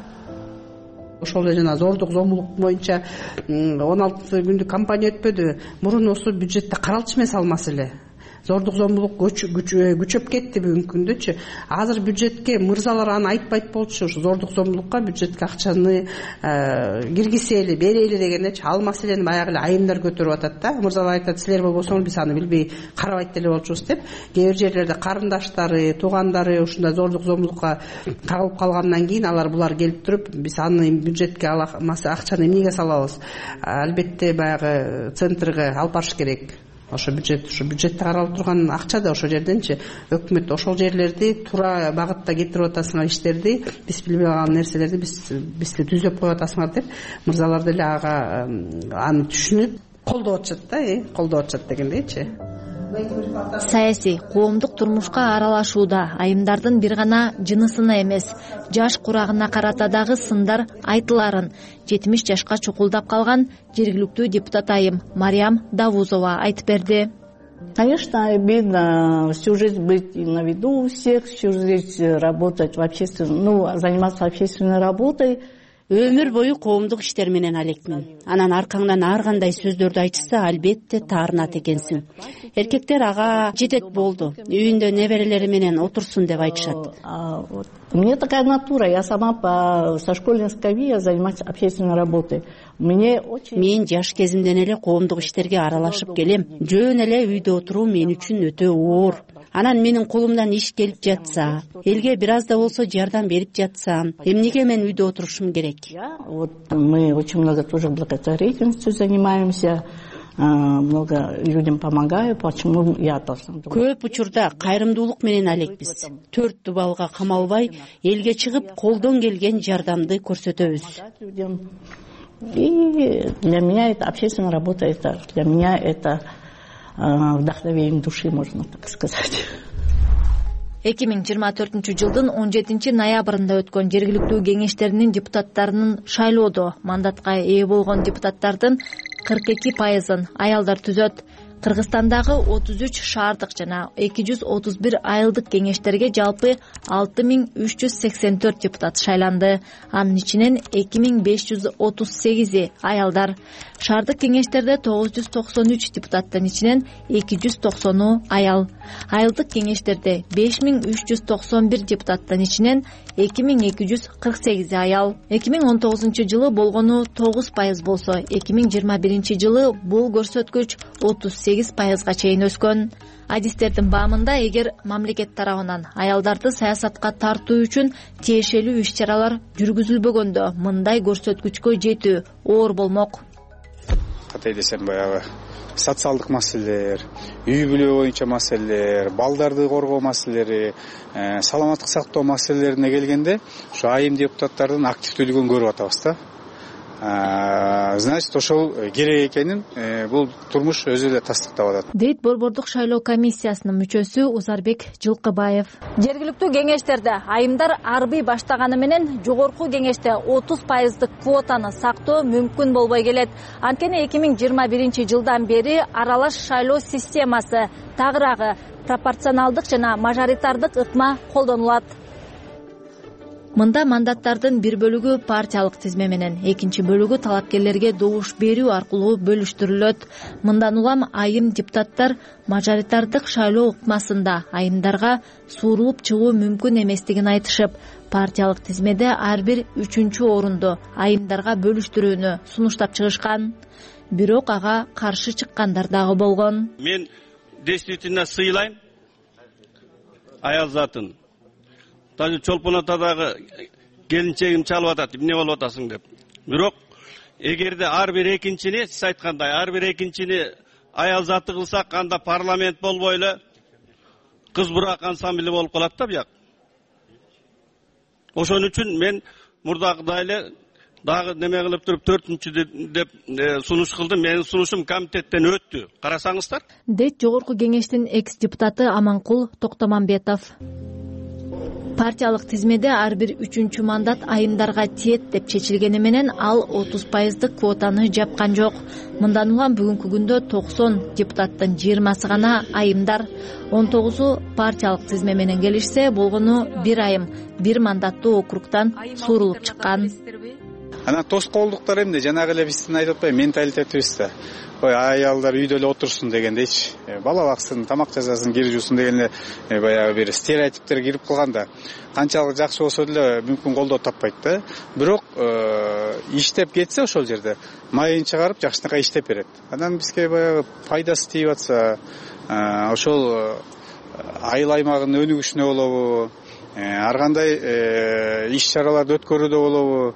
Ошол эле жана зордук зомбулук боюнча он алты күндүк кампания өтпөдү. Мурун осы бюджетте каралчу эмес ал маселе. Зордук зомбулук күчөп кетти бүгүнкү күндөчү. Азыр бюджетке мырзалар аны айтпайт болчу. Ушу зордук зомбулукка бюджетке акчаны киргизели, берели дегендечи ал маселени баягы эле айымдар көтөрүп атат да. Мырзалар айтат, силер болбосоңор биз аны билбей карабайт деле болчубуз деп. Кээ бир жерлерде карындаштары, туугандары ушундай зордук зомбулукка кагылып калгандан кийин алар булар келип туруп, биз аны бюджетке акчаны эмнеге салабыз? Албетте баягы центрге алып барыш керек. Ошо бюджет, ошо бюджетте каралып турган акча да ошол жерденчи өкмөт ошол жерлерди туура багытта кетирип атасыңар, иштерди биз билбей калган нерселерди биз бизди түзөп коюп атасыңар деп мырзалар деле ага аны түшүнүп колдоп атышат да, колдоп атышат дегендейчи. Саясий, коомдук турмушка аралашууда айымдардын бир гана жынысына эмес, жаш курагына карата дагы сындар айтыларын жетимиш жашка чукулдап калган жергиликтүү депутат айым Мариям Давузова айтып берди. Конечно, обидно всю жизнь быть на виду у всех, всю жизнь работать в общественном, ну, заниматься общественной работой. Өмүр бою коомдук иштер менен алекмин. Анан аркаңдан ар кандай сөздөрдү айтышса, албетте таарынат экенсиң. Эркектер ага жетет болду, үйүндө неберелери менен отурсун деп айтышат. У меня такая натура, я сама по со школьной скамьи я занимаюсь общественной работой. Мне очень Мен жаш кезимден эле коомдук иштерге аралашып келем. Жөн эле үйдө отуруу мен үчүн өтө оор. Анан менин колумдан иш келип жатса, элге бир аз да болсо жардам берип жатсам, эмнеге мен үйдө отурушум керек? Вот мы очень много тоже благотворительностью занимаемся, много людям помогаю, почему я должна? Көп учурда кайрымдуулук менен алекпиз. Төрт дубалга камалбай, элге чыгып колдон келген жардамды көрсөтөбүз. И для меня это общественная работа, это для меня это вдохновение души, можно так сказать. эки миң жыйырма төртүнчү жылдын он жетинчи ноябрында өткөн жергиликтүү кеңештеринин депутаттарынын шайлоодо мандатка ээ болгон депутаттардын кырк эки пайызын аялдар түзөт. Кыргызстандагы отуз үч шаардык жана эки жүз отуз бир айылдык кеңештерге жалпы алты миң үч жүз сексен төрт депутат шайланды. Анын ичинен эки миң беш жүз отуз сегизи аялдар. Шаардык кеңештерде тогуз жүз токсон үч депутаттын ичинен эки жүз токсону аял. Айылдык кеңештерде беш миң үч жүз токсон бир депутаттын ичинен эки миң эки жүз кырк сегизи аял. эки миң он тогузунчу жылы болгону тогуз пайыз болсо, эки миң жыйырма биринчи жылы бул көрсөткүч отуз сегиз пайызга чейин өскөн. Адистердин баамында, эгер мамлекет тарабынан аялдарды саясатка тартуу үчүн тиешелүү иш-чаралар жүргүзүлбөгөндө, мындай көрсөткүчкө жетүү оор болмок. Кандай десем, баягы социалдык маселелер, үй бүлө боюнча маселелер, балдарды коргоо маселелери, саламаттык сактоо маселелерине келгенде, ушу айым депутаттардын активдүүлүгүн көрүп атабыз да. Значит, ошол керек экенин бул турмуш өзү эле тастыктап атат, дейт Борбордук шайлоо комиссиясынын мүчөсү Узарбек Жылкыбаев. Жергиликтүү кеңештерде айымдар арбый баштаганы менен жогорку кеңеште отуз пайыздык квотаны сактоо мүмкүн болбой келет. Анткени эки миң жыйырма биринчи жылдан бери аралаш шайлоо системасы, тагыраагы пропорционалдык жана мажоритардык ыкма колдонулат. Мында мандаттардын бир бөлүгү партиялык тизме менен, экинчи бөлүгү талапкерлерге добуш берүү аркылуу бөлүштүрүлөт. Мындан улам айым депутаттар мажоритардык шайлоо ыкмасында айымдарга суурулуп чыгуу мүмкүн эместигин айтышып, партиялык тизмеде ар бир үчүнчү орунду айымдарга бөлүштүрүүнү сунуштап чыгышкан. Бирок ага каршы чыккандар дагы болгон. Мен действительно сыйлайм аял затын. Даже Чолпон атадагы келинчегим чалып атат, эмне болуп атасың деп. Бирок эгерде ар бир экинчини, сиз айткандай, ар бир экинчини аял заты кылсак, анда парламент болбой эле кыз-бурак ансамбли болуп калат да бияк. Ошон үчүн мен мурдагыдай эле дагы неме кылып туруп төртүнчү деп сунуш кылды. Менин сунушум комитеттен өттү. Карасаңыздар. Дейт жогорку кеңештин экс депутаты Аманкул Токтомамбетов. Партиялык тизмеде ар бир үчүнчү мандат айымдарга тиет деп чечилгени менен ал отуз пайыздык квотаны жапкан жок. Мындан улам бүгүнкү күндө токсон депутаттын жыйырмасы гана айымдар, он тогузу партиялык тизме менен келишсе, болгону бир айым бир мандаттуу округтан суурулуп чыккан. Анан тоскоолдуктар эмне? Жанагы эле биздин айтып атпайбы менталитетибиз да. Ой, аялдар үйдө эле отурсун дегендейчи. Бала баксын, тамак жасасын, кир жуусын деген эле баягы бир стереотиптер кирип калган да. Канчалык жакшы болсо деле мүмкүн колдоо таппайт да. Бирок иштеп кетсе ошол жерде майын чыгарып жакшынакай иштеп берет. Анан бизге баягы пайдасы тийип атса, ошол айыл аймагынын өнүгүшүнө болобу, ар кандай иш чараларды өткөрүүдө болобу,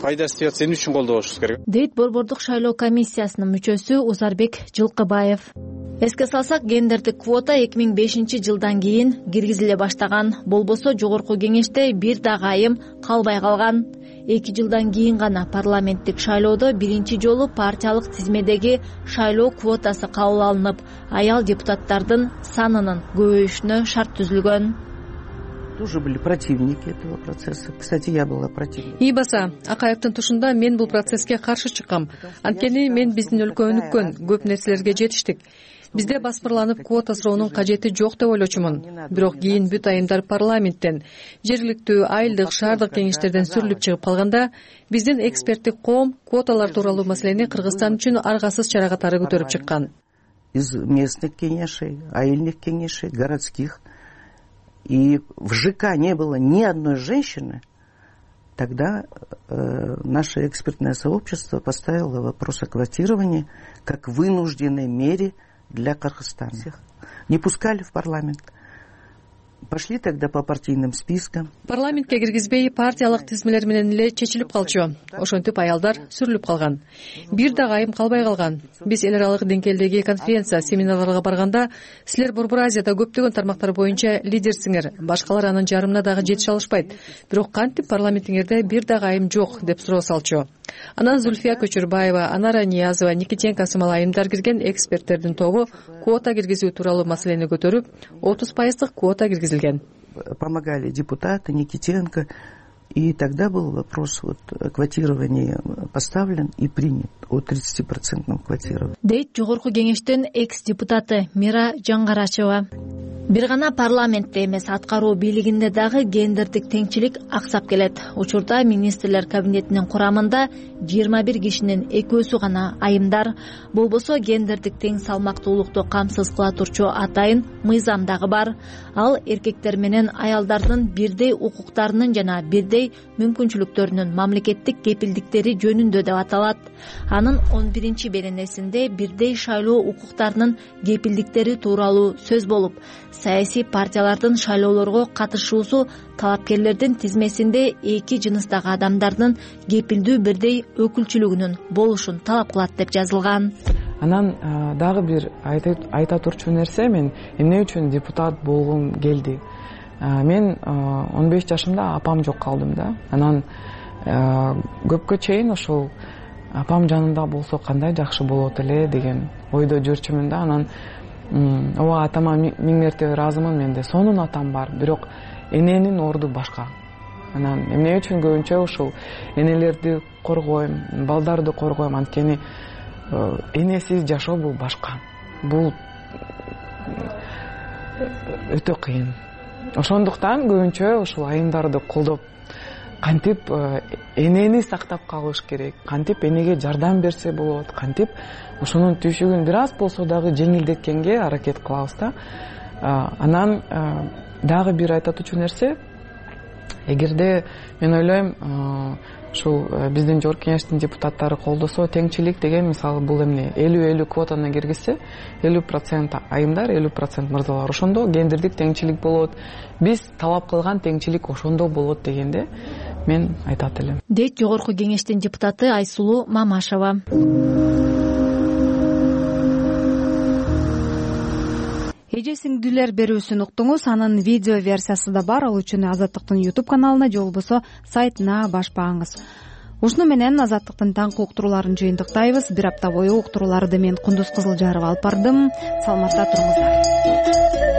пайдасы тийип атса эмне үчүн колдобошубуз керек? Дейт Борбордук шайлоо комиссиясынын мүчөсү Узарбек Жылкыбаев. Эске салсак, гендердик квота эки миң бешинчи жылдан кийин киргизиле баштаган. Болбосо жогорку кеңеште бир дагы айым калбай калган. Эки жылдан кийин гана парламенттик шайлоодо биринчи жолу партиялык тизмедеги шайлоо квотасы кабыл алынып, аял депутаттардын санынын көбөйүшүнө шарт түзүлгөн. Тоже были противники этого процесса. Кстати, я была противник. И баса, Акаевдин тушунда мен бул процесске каршы чыккам. Анткени мен биздин өлкө өнүккөн, көп нерселерге жетиштик. Бизде басмырланып квота суроонун кажети жок деп ойлочумун. Бирок кийин бүт айымдар парламенттен, жергиликтүү, айылдык, шаардык кеңештерден сүрүлүп чыгып калганда, биздин эксперттик коом квоталар тууралуу маселени Кыргызстан үчүн аргасыз чара катары көтөрүп чыккан. Из местных кеңешей, айылдык кеңешей, городских. И в ЖК не было ни одной женщины, тогда э, наше экспертное сообщество поставило вопрос о квотировании как вынужденной мере для Кыргызстана. Не пускали в парламент. Пошли тогда по партийным спискам. Парламентке киргизбей партиялык тизмелер менен эле чечилип калчу. Ошентип аялдар сүрүлүп калган. Бир дагы айым калбай калган. Биз эл аралык деңгээлдеги конференция, семинарларга барганда, силер Борбор Азияда көптөгөн тармактар боюнча лидерсиңер, башкалар анын жарымына дагы жетише алышпайт. Бирок кантип парламентиңерде бир дагы айым жок деп суроо салчу. Анан Зульфия Көчүрбаева, Анара Ниязова, Никитенко сымал айымдар кирген эксперттердин тобу квота киргизүү тууралуу маселени көтөрүп, отуз пайыздык квота киргизилген. Помогали депутаты Никитенко, и тогда был вопрос вот квотирования поставлен и принят о тридцатипроцентном квотировании. Дейт жогорку кеңештин экс депутаты Мира Жаңгарачева. Бир гана парламентте эмес, аткаруу бийлигинде дагы гендердик теңчилик аксап келет. Учурда министрлер кабинетинин курамында жыйырма бир кишинин экөөсү гана айымдар. Болбосо гендердик тең салмактуулукту камсыз кыла турчу атайын мыйзам дагы бар. Ал эркектер менен аялдардын бирдей укуктарынын жана бирдей мүмкүнчүлүктөрүнүн мамлекеттик кепилдиктери жөнүндө деп аталат. Анын он биринчи беренесинде бирдей шайлоо укуктарынын кепилдиктери тууралуу сөз болуп, саясий партиялардын шайлоолорго катышуусу талапкерлердин тизмесинде эки жыныстагы адамдардын кепилдүү бирдей өкүлчүлүгүнүн болушун талап кылат деп жазылган. Анан дагы бир айта турчу нерсе, мен эмне үчүн депутат болгум келди. Мен он беш жашымда апам жок калдым да. Анан көпкө чейин ошол апам жанында болсо кандай жакшы болот эле деген ойдо жүрчүмүн да. Анан ооба, атама миң мертебе ыраазымын, менде сонун атам бар, бирок эненин орду башка. Анан эмне үчүн көбүнчө ушул энелерди коргойм, балдарды коргойм, анткени энесиз жашоо бул башка. Бул өтө кыйын. Ошондуктан көбүнчө ушул айымдарды колдоп, кантип энени сактап калыш керек, кантип энеге жардам берсе болот, кантип ошонун түйшүгүн бир аз болсо дагы жеңилдеткенге аракет кылабыз да. Анан дагы бир айтатучу нерсе, эгерде мен ойлойм ушул биздин жогорку кеңештин депутаттары колдосо, теңчилик деген мисалы бул эмне, элүү элүү квотаны киргизсе, элүү процент айымдар, элүү процент мырзалар, ошондо гендердик теңчилик болот. Биз талап кылган теңчилик ошондо болот дегенде мен айтат элем. Дейт жогорку кеңештин депутаты Айсулуу Мамашева. эже сиңдилер берүүсүн уктуңуз. Анын видео версиясы да бар. Ал үчүн Азаттыктын YouTube каналына же болбосо сайтына баш бааңыз. Ушуну менен Азаттыктын таңкы уктурууларын жыйынтыктайбыз. Бир апта бою уктурууларды мен Кундуз Кызылжарова алып бардым. Саламатта туруңуздар.